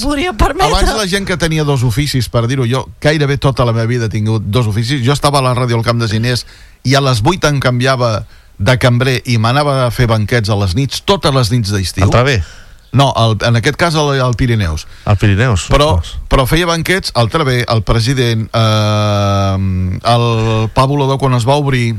B: podria permetre.
D: Abans la gent que tenia 2 oficis, per dir-ho, jo gairebé tota la meva vida he tingut 2 oficis. Jo estava a la ràdio al Camp de Ginés i a les 8 em canviava de cambrer i m'anava a fer banquets a les nits, totes les nits d'estiu.
C: Al Travé?
D: No, en aquest cas al Pirineus.
C: Al Pirineus.
D: Però feia banquets al Travé, al President, al Pa Volador quan es va obrir,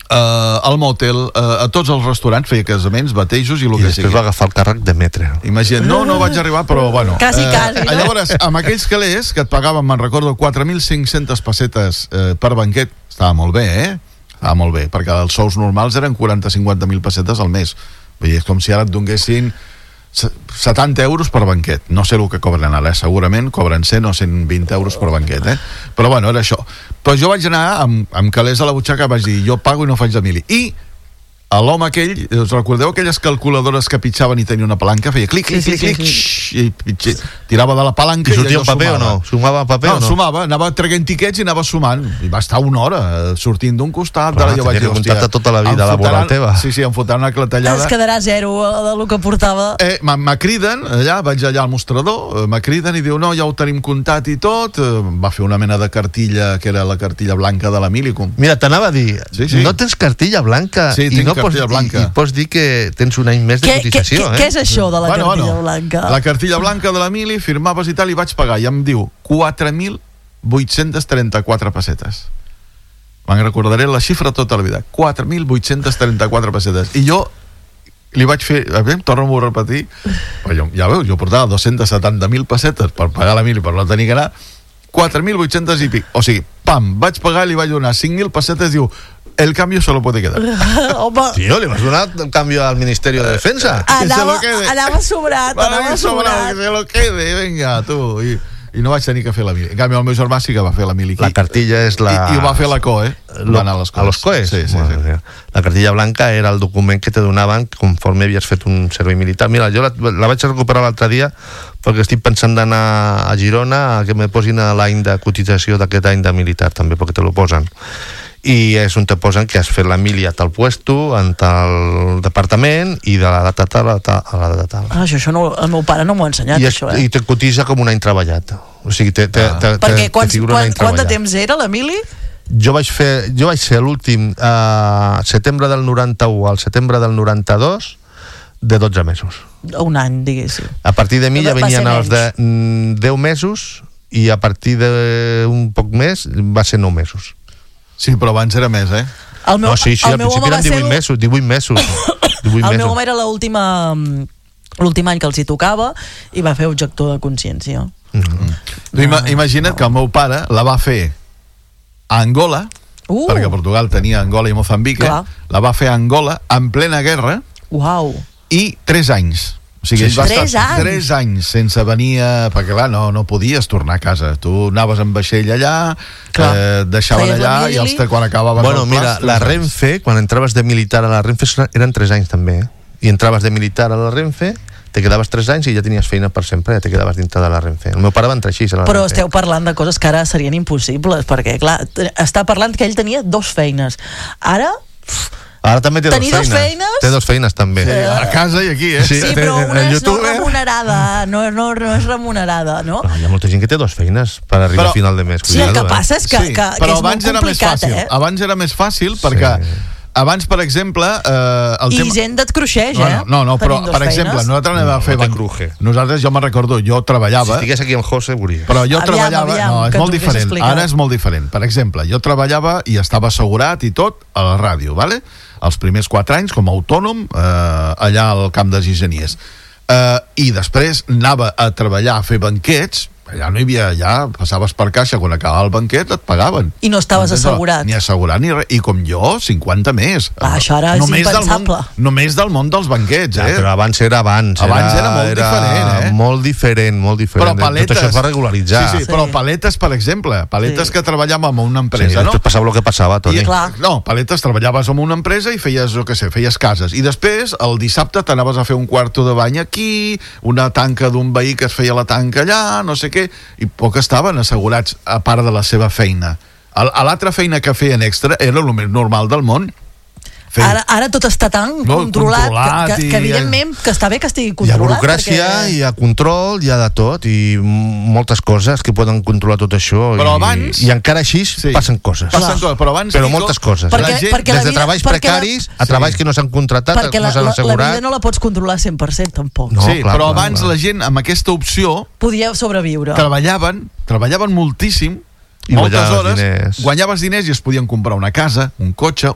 D: al motel, a tots els restaurants, feia casaments, batejos i el que sigui.
C: I després va agafar el càrrec de metre.
D: Imagina't, no vaig arribar, però bueno.
B: Quasi.
D: Llavors, amb aquells calés que et pagaven, me'n recordo, 4.500 pessetes per banquet, estava molt bé, Estava molt bé, perquè els sous normals eren 40-50.000 pessetes al mes. Vull dir, és com si ara et donessin 70 euros per banquet. No sé el que cobren ara, segurament cobren 100 o 120 euros per banquet, Però bueno, era això. Però jo vaig anar amb calés a la butxaca, vaig dir, jo pago i no faig de mili. I l'home aquell, us recordeu aquelles calculadores que pitjaven i tenia una palanca? Feia clic, clic, clic, clic, i tirava de la palanca.
C: I sortia un paper o no? Sumava paper o no?
D: No, sumava, anava traient tiquets i anava sumant. I va estar una hora sortint d'un costat.
C: Però jo vaig dir, hòstia, tota la vida laboral teva.
D: Sí, em fotran una clatellada.
B: Es quedarà zero del que portava.
D: Me criden, vaig allà al mostrador, me criden i diu, no, ja ho tenim comptat i tot. Va fer una mena de cartilla, que era la cartilla blanca de la Milicum.
C: Mira, t'anava a dir, no tens cartilla blanca i no pots dir que tens un any més de cotització.
B: Què és això de la cartilla blanca?
D: La cartilla blanca de la Mili, firmaves i tal, i vaig pagar, i em diu 4.834 pessetes. Me'n recordaré la xifra tota la vida, 4.834 pessetes. I jo li vaig fer, torno-m'ho a repetir, ja veus, jo portava 270.000 pessetes per pagar la Mili, per no tenir que anar, 4.800 i pic. O sigui, pam, vaig pagar i li vaig donar 5.000 pessetes, diu, el cambio se lo puede quedar.
C: Tío, le vas a donar el cambio al Ministerio de Defensa.
B: Anava sobrat.
D: Que se lo quede, venga, tu. I no vaig tenir que fer la mili. En canvi, el meu germà sí que va fer la mili.
C: La cartilla és la...
D: I ho va fer la COE. Va anar a les COEs.
C: A los COEs?
D: Sí.
C: La cartilla blanca era el document que te donaven conforme havies fet un servei militar. Mira, jo la vaig recuperar l'altre dia perquè estic pensant d'anar a Girona a que me posin l'any de cotització d'aquest any de militar també, perquè te lo posen. I és on te posen que has fet la mili a tal puesto, en tal departament, i de la data tal a la data tal.
B: Això no, el meu pare no m'ho ha ensenyat, això.
C: I te cotitza com un any treballat. O sigui,
B: perquè quant de temps era la mili?
C: Jo vaig ser l'últim setembre del 91 al setembre del 92 de 12 mesos.
B: Un any, diguéssim.
C: A partir de mi ja venien els de 10 mesos i a partir d'un poc més va ser 9 mesos.
D: Sí, però abans era més,
B: al
C: principi eren 18 mesos.
B: El meu home era l'últim any que els hi tocava i va fer objector de consciència.
D: Imagina't que el meu pare la va fer a Angola, perquè Portugal tenia Angola i Mozambique, la va fer a Angola en plena guerra i 3 anys. O sigui, ell va estar 3 anys sense venir perquè clar, no podies tornar a casa. Tu anaves amb vaixell allà, deixaven allà i quan acabaven...
C: Bueno, mira, la Renfe, quan entraves de militar a la Renfe eren 3 anys també, i entraves de militar a la Renfe, te quedaves 3 anys i ja tenies feina per sempre, ja te quedaves dintre de la Renfe. El meu pare va entrar així a la Renfe.
B: Però esteu parlant de coses que ara serien impossibles, perquè clar, està parlant que ell tenia 2 feines.
C: Ara també té 2 feines. Té 2 feines també.
D: Sí, a casa i aquí,
B: Sí, però una és no remunerada, no és remunerada, no?
C: Hi ha molta gent que té 2 feines per arribar a final de mes.
B: Sí, el que passa és que és molt complicat,
D: Abans era més fàcil perquè abans, per exemple...
B: I gent et cruixeix,
D: No, però, per exemple, nosaltres anem a fer... Nosaltres, jo me'n recordo, jo treballava...
C: Si estigués aquí amb José, veuria.
D: Però jo treballava... No, és molt diferent. Ara és molt diferent. Per exemple, jo treballava i estava assegurat i tot a la ràdio, ¿vale? Els primers 4 anys com a autònom allà al camp de Gigenies. I després anava a treballar, a fer banquets. Allà no hi havia, ja passaves per caixa, quan acabava el banquet et pagaven.
B: I no estaves assegurat.
D: Ni assegurat ni res. I com jo, 50 més.
B: Això ara és impensable.
D: Només del món dels banquets,
C: Però abans era abans.
D: Abans era molt diferent,
C: Molt diferent.
D: Però paletes...
C: Tot això es va regularitzar.
D: Sí, però paletes, per exemple, que treballàvem amb una empresa, no?
C: Després passava el que passava, Toni.
D: No, paletes, treballaves amb una empresa i feies, feies cases. I després, el dissabte, t'anaves a fer un quarto de bany aquí, una tanca d'un veí que es feia la tanca allà, no sé què, i poc estaven assegurats a part de la seva feina. A l'altra feina que feien extra era el més normal del món.
B: Ara tot està tan controlat que evidentment que està bé que estigui controlat.
C: Hi ha burocràcia, hi ha control, hi ha de tot, i moltes coses que poden controlar tot això.
D: Però abans...
C: I encara així passen coses.
D: Però abans...
C: Però moltes coses. Des de treballs precaris a treballs que no s'han contractat, no s'han assegurat.
B: Perquè la vida no la pots controlar 100% tampoc.
D: Sí, però abans la gent amb aquesta opció...
B: Podia sobreviure.
D: Treballaven moltíssim, moltes hores, guanyaves diners i es podien comprar una casa, un cotxe,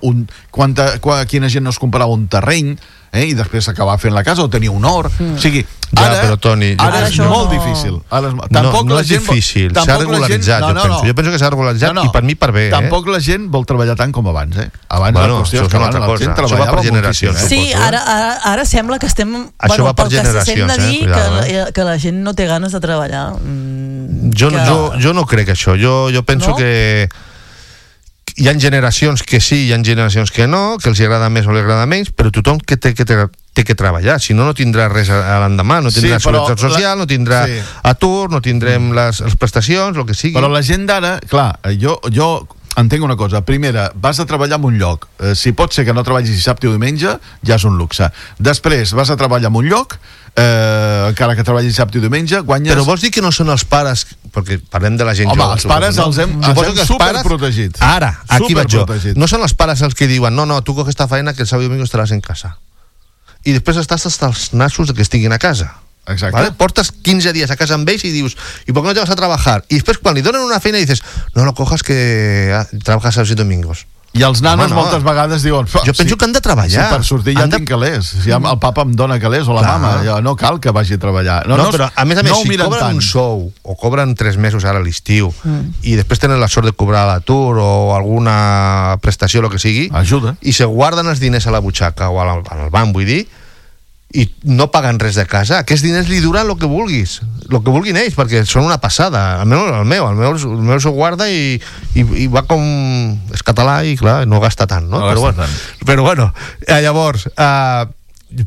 D: quina gent no es comprava un terreny, i després s'acabava fent la casa o tenia un hort. O sigui, ara és molt difícil.
C: No és difícil, s'ha regularitzat, jo penso. Jo penso que s'ha regularitzat i per mi per bé.
D: Tampoc la gent vol treballar tant com abans, Abans la qüestió és que la gent treballava moltíssim.
B: Sí, ara sembla que estem...
C: Això va per generacions,
B: que la gent no té ganes de treballar.
C: Jo no crec això. Jo penso que hi ha generacions que sí, hi ha generacions que no, que els agrada més o els agrada menys, però tothom que té que treballar, si no tindrà res a l'endemà, no tindrà seguretat social, no tindrà atur, no tindrem les prestacions, el que sigui.
D: Però la gent d'ara, clar, jo entenc una cosa. Primera, vas a treballar en un lloc. Si pot ser que no treballis dissabte o diumenge, ja és un luxe. Després, vas a treballar en un lloc, encara que treballis dissabte i diumenge, guanyes...
C: Però vols dir que no són els pares, perquè parlem de la gent jove.
D: Home, els pares els hem superprotegits.
C: Ara, aquí vaig jo. No són els pares els que diuen no, tu coges esta feina que el sábado y domingo estaràs en casa. I després estàs hasta els nassos de que estiguin a casa.
D: Exacte.
C: ¿Vale? Portas 15 días a casa amb ells i dius, ¿y por qué no te vas a trabajar? Y després quan li donen una feina dices, no lo cojas que trabajas sábados y domingos.
D: I els nanos moltes vegades diuen...
C: Jo penso que han de treballar.
D: Si per sortir ja tinc calés. Si el papa em dona calés o la mama, no cal que vagi a treballar.
C: No, però a més, si cobren un sou o cobren 3 mesos ara a l'estiu i després tenen la sort de cobrar l'atur o alguna prestació, el que sigui,
D: ajuda.
C: I se guarden els diners a la butxaca o al banc, vull dir, i no paguen res de casa, aquests diners li duran el que vulguin ells, perquè són una passada. Almenys el meu s'ho guarda i va com... és català i clar, no gasta tant, no? Però bueno, llavors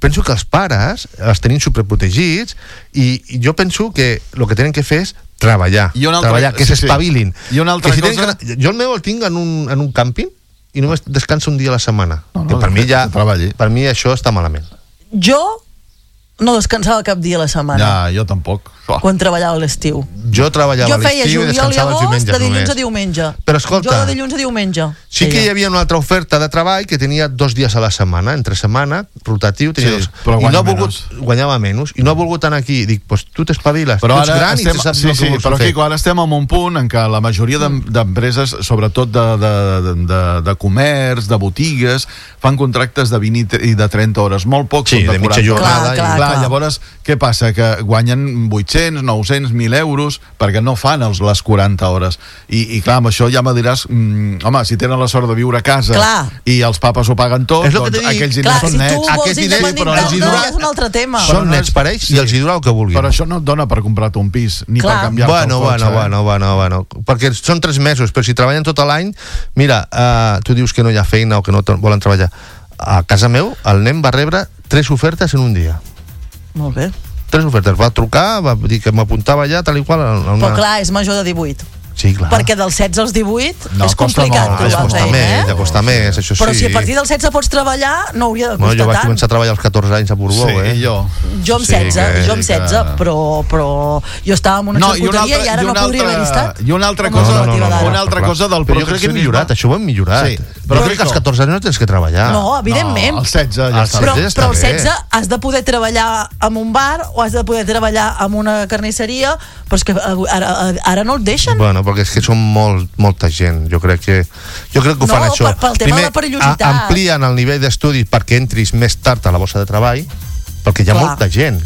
C: penso que els pares els tenim superprotegits i jo penso que el que tenen que fer és treballar, que s'espavilin.
D: I una altra cosa...
C: Jo el meu el tinc en un càmping i només descansa un dia a la setmana, que per mi això està malament.
B: Jo no descansava cap dia a la setmana.
D: Ja, jo tampoc.
B: Quan treballava a l'estiu.
C: Jo treballava a l'estiu i descansava els diumenges
B: de dilluns a diumenge.
C: Però escolta,
B: jo de dilluns a diumenge.
C: Sí que hi havia una altra oferta de treball que tenia 2 dies a la setmana, entre setmana, rotatiu, tenia 2. I no ha volgut, guanyava menys, i no ha volgut anar aquí. Dic, doncs tu t'espaviles, tu ets gran i saps el que vols fer.
D: Però Quico, ara estem en un punt en què la majoria d'empreses, sobretot de comerç, de botigues, fan contractes de 20 i de 30 hores, molt pocs són de 40
C: mitja jornada.
D: Clar, llavors, què passa? Que guanyen 800, 900, 1.000 euros perquè no fan les 40 hores. I clar, amb això ja me diràs, home, si tenen la sort de viure a casa i els papes ho paguen tot, doncs aquells diners són nets.
B: Aquests diners, però és un altre tema.
C: Són nets per ells i els hi dura el que vulguin.
D: Però això no et dona per comprar-te un pis, ni per canviar-te el cotxe.
C: Bueno, perquè són 3 mesos, però si treballen tot l'any, mira, tu dius que no hi ha feina o que no volen treballar. A casa meu, el nen va rebre 3 ofertes en un dia.
B: Molt bé.
C: 3 ofertes, va trucar, va dir que m'apuntava ja tal i qual.
B: Però clar, és major de 18.
C: Sí, clar.
B: Perquè dels 16 als 18 és complicat trobar feina,
C: ja costa més, això sí.
B: Però si a partir dels 16 pots treballar, no hauria de costar tant.
C: Jo vaig començar a treballar als 14 anys a Borbó,
B: Jo amb 16, però jo estava en una xarcuteria i ara no podria haver estat.
D: I una altra cosa del
C: però jo crec que hem millorat, això ho hem millorat. Però crec que als 14 anys no tens que treballar.
B: No, evidentment.
D: Als 16 ja està.
B: Però als 16 has de poder treballar en un bar o has de poder treballar en una carnisseria, però és que ara no et deixen.
C: Bueno, perquè és que són molta gent. Jo crec que ho fan això.
B: Pel tema de la perillositat.
C: Amplien el nivell d'estudis perquè entris més tard a la borsa de treball, perquè hi ha molta gent,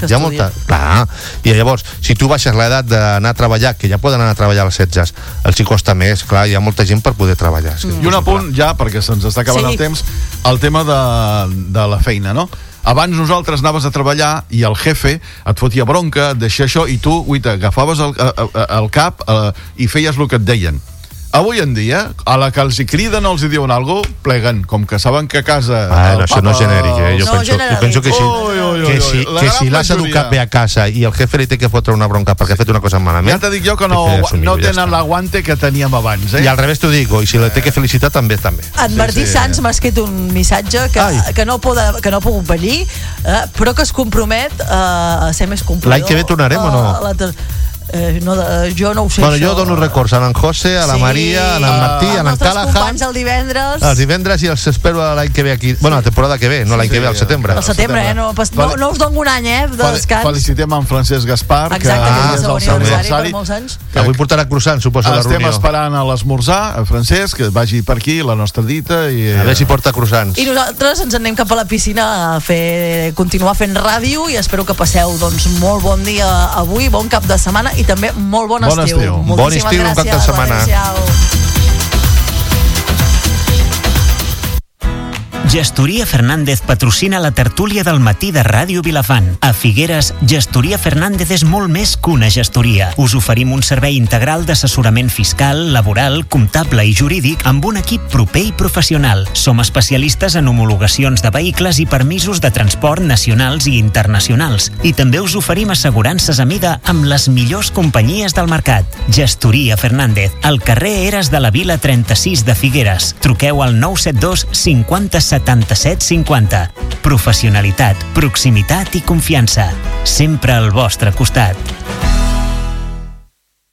C: clar, i llavors, si tu baixes l'edat d'anar a treballar, que ja poden anar a treballar als 16, els hi costa més, clar, hi ha molta gent per poder treballar.
D: I un apunt, ja, perquè se'ns està acabant el temps, el tema de la feina, no? Abans nosaltres anaves a treballar i el jefe et fotia bronca, et deixia això, i tu, agafaves el cap i feies el que et deien. Avui en dia, a la que els hi criden o els hi diuen alguna cosa, pleguen, com que saben que a casa...
C: això no és genèric, jo penso que si l'has educat bé a casa i el jefe li té que fotre una bronca perquè ha fet una cosa malament...
D: Ja t'he dit jo que no tenen l'aguante que teníem abans,
C: I al revés t'ho dic, i si la té que felicitar també.
B: En Martí Sans m'ha escrit un missatge que no ha pogut venir, però que es compromet a ser més complidor.
C: L'any que ve tornarem o no?
B: Jo no ho sé,
C: jo dono records a l'en José, a la Maria, a l'en Martí, a l'en Callahan.
B: Els companys el divendres.
C: Els divendres i els espero l'any que ve aquí. Bueno, la temporada que ve, no l'any que ve, al setembre.
B: Al setembre, no us dono un any, de descans.
D: Felicitem en Francesc Gaspar,
B: que és el seu aniversari per molts anys.
C: Avui portarà croissant, suposo, la reunió.
D: Estem esperant a l'esmorzar, Francesc, que vagi per aquí, la nostra dita.
C: A veure si porta croissants.
B: I nosaltres ens anem cap a la piscina a continuar fent ràdio i espero que passeu molt bon dia avui, bon cap de setmana i també molt bon estiu.
C: Bon estiu, un cap de setmana.
A: Gestoria Fernández patrocina la tertúlia del matí de Ràdio Vilafant. A Figueres, Gestoria Fernández és molt més que una gestoria. Us oferim un servei integral d'assessorament fiscal, laboral, comptable i jurídic amb un equip proper i professional. Som especialistes en homologacions de vehicles i permisos de transport nacionals i internacionals. I també us oferim assegurances a mida amb les millors companyies del mercat. Gestoria Fernández, al carrer Eres de la Vila 36 de Figueres. Truqueu al 972 50 77 50. Professionalitat, proximitat i confiança. Sempre al vostre costat.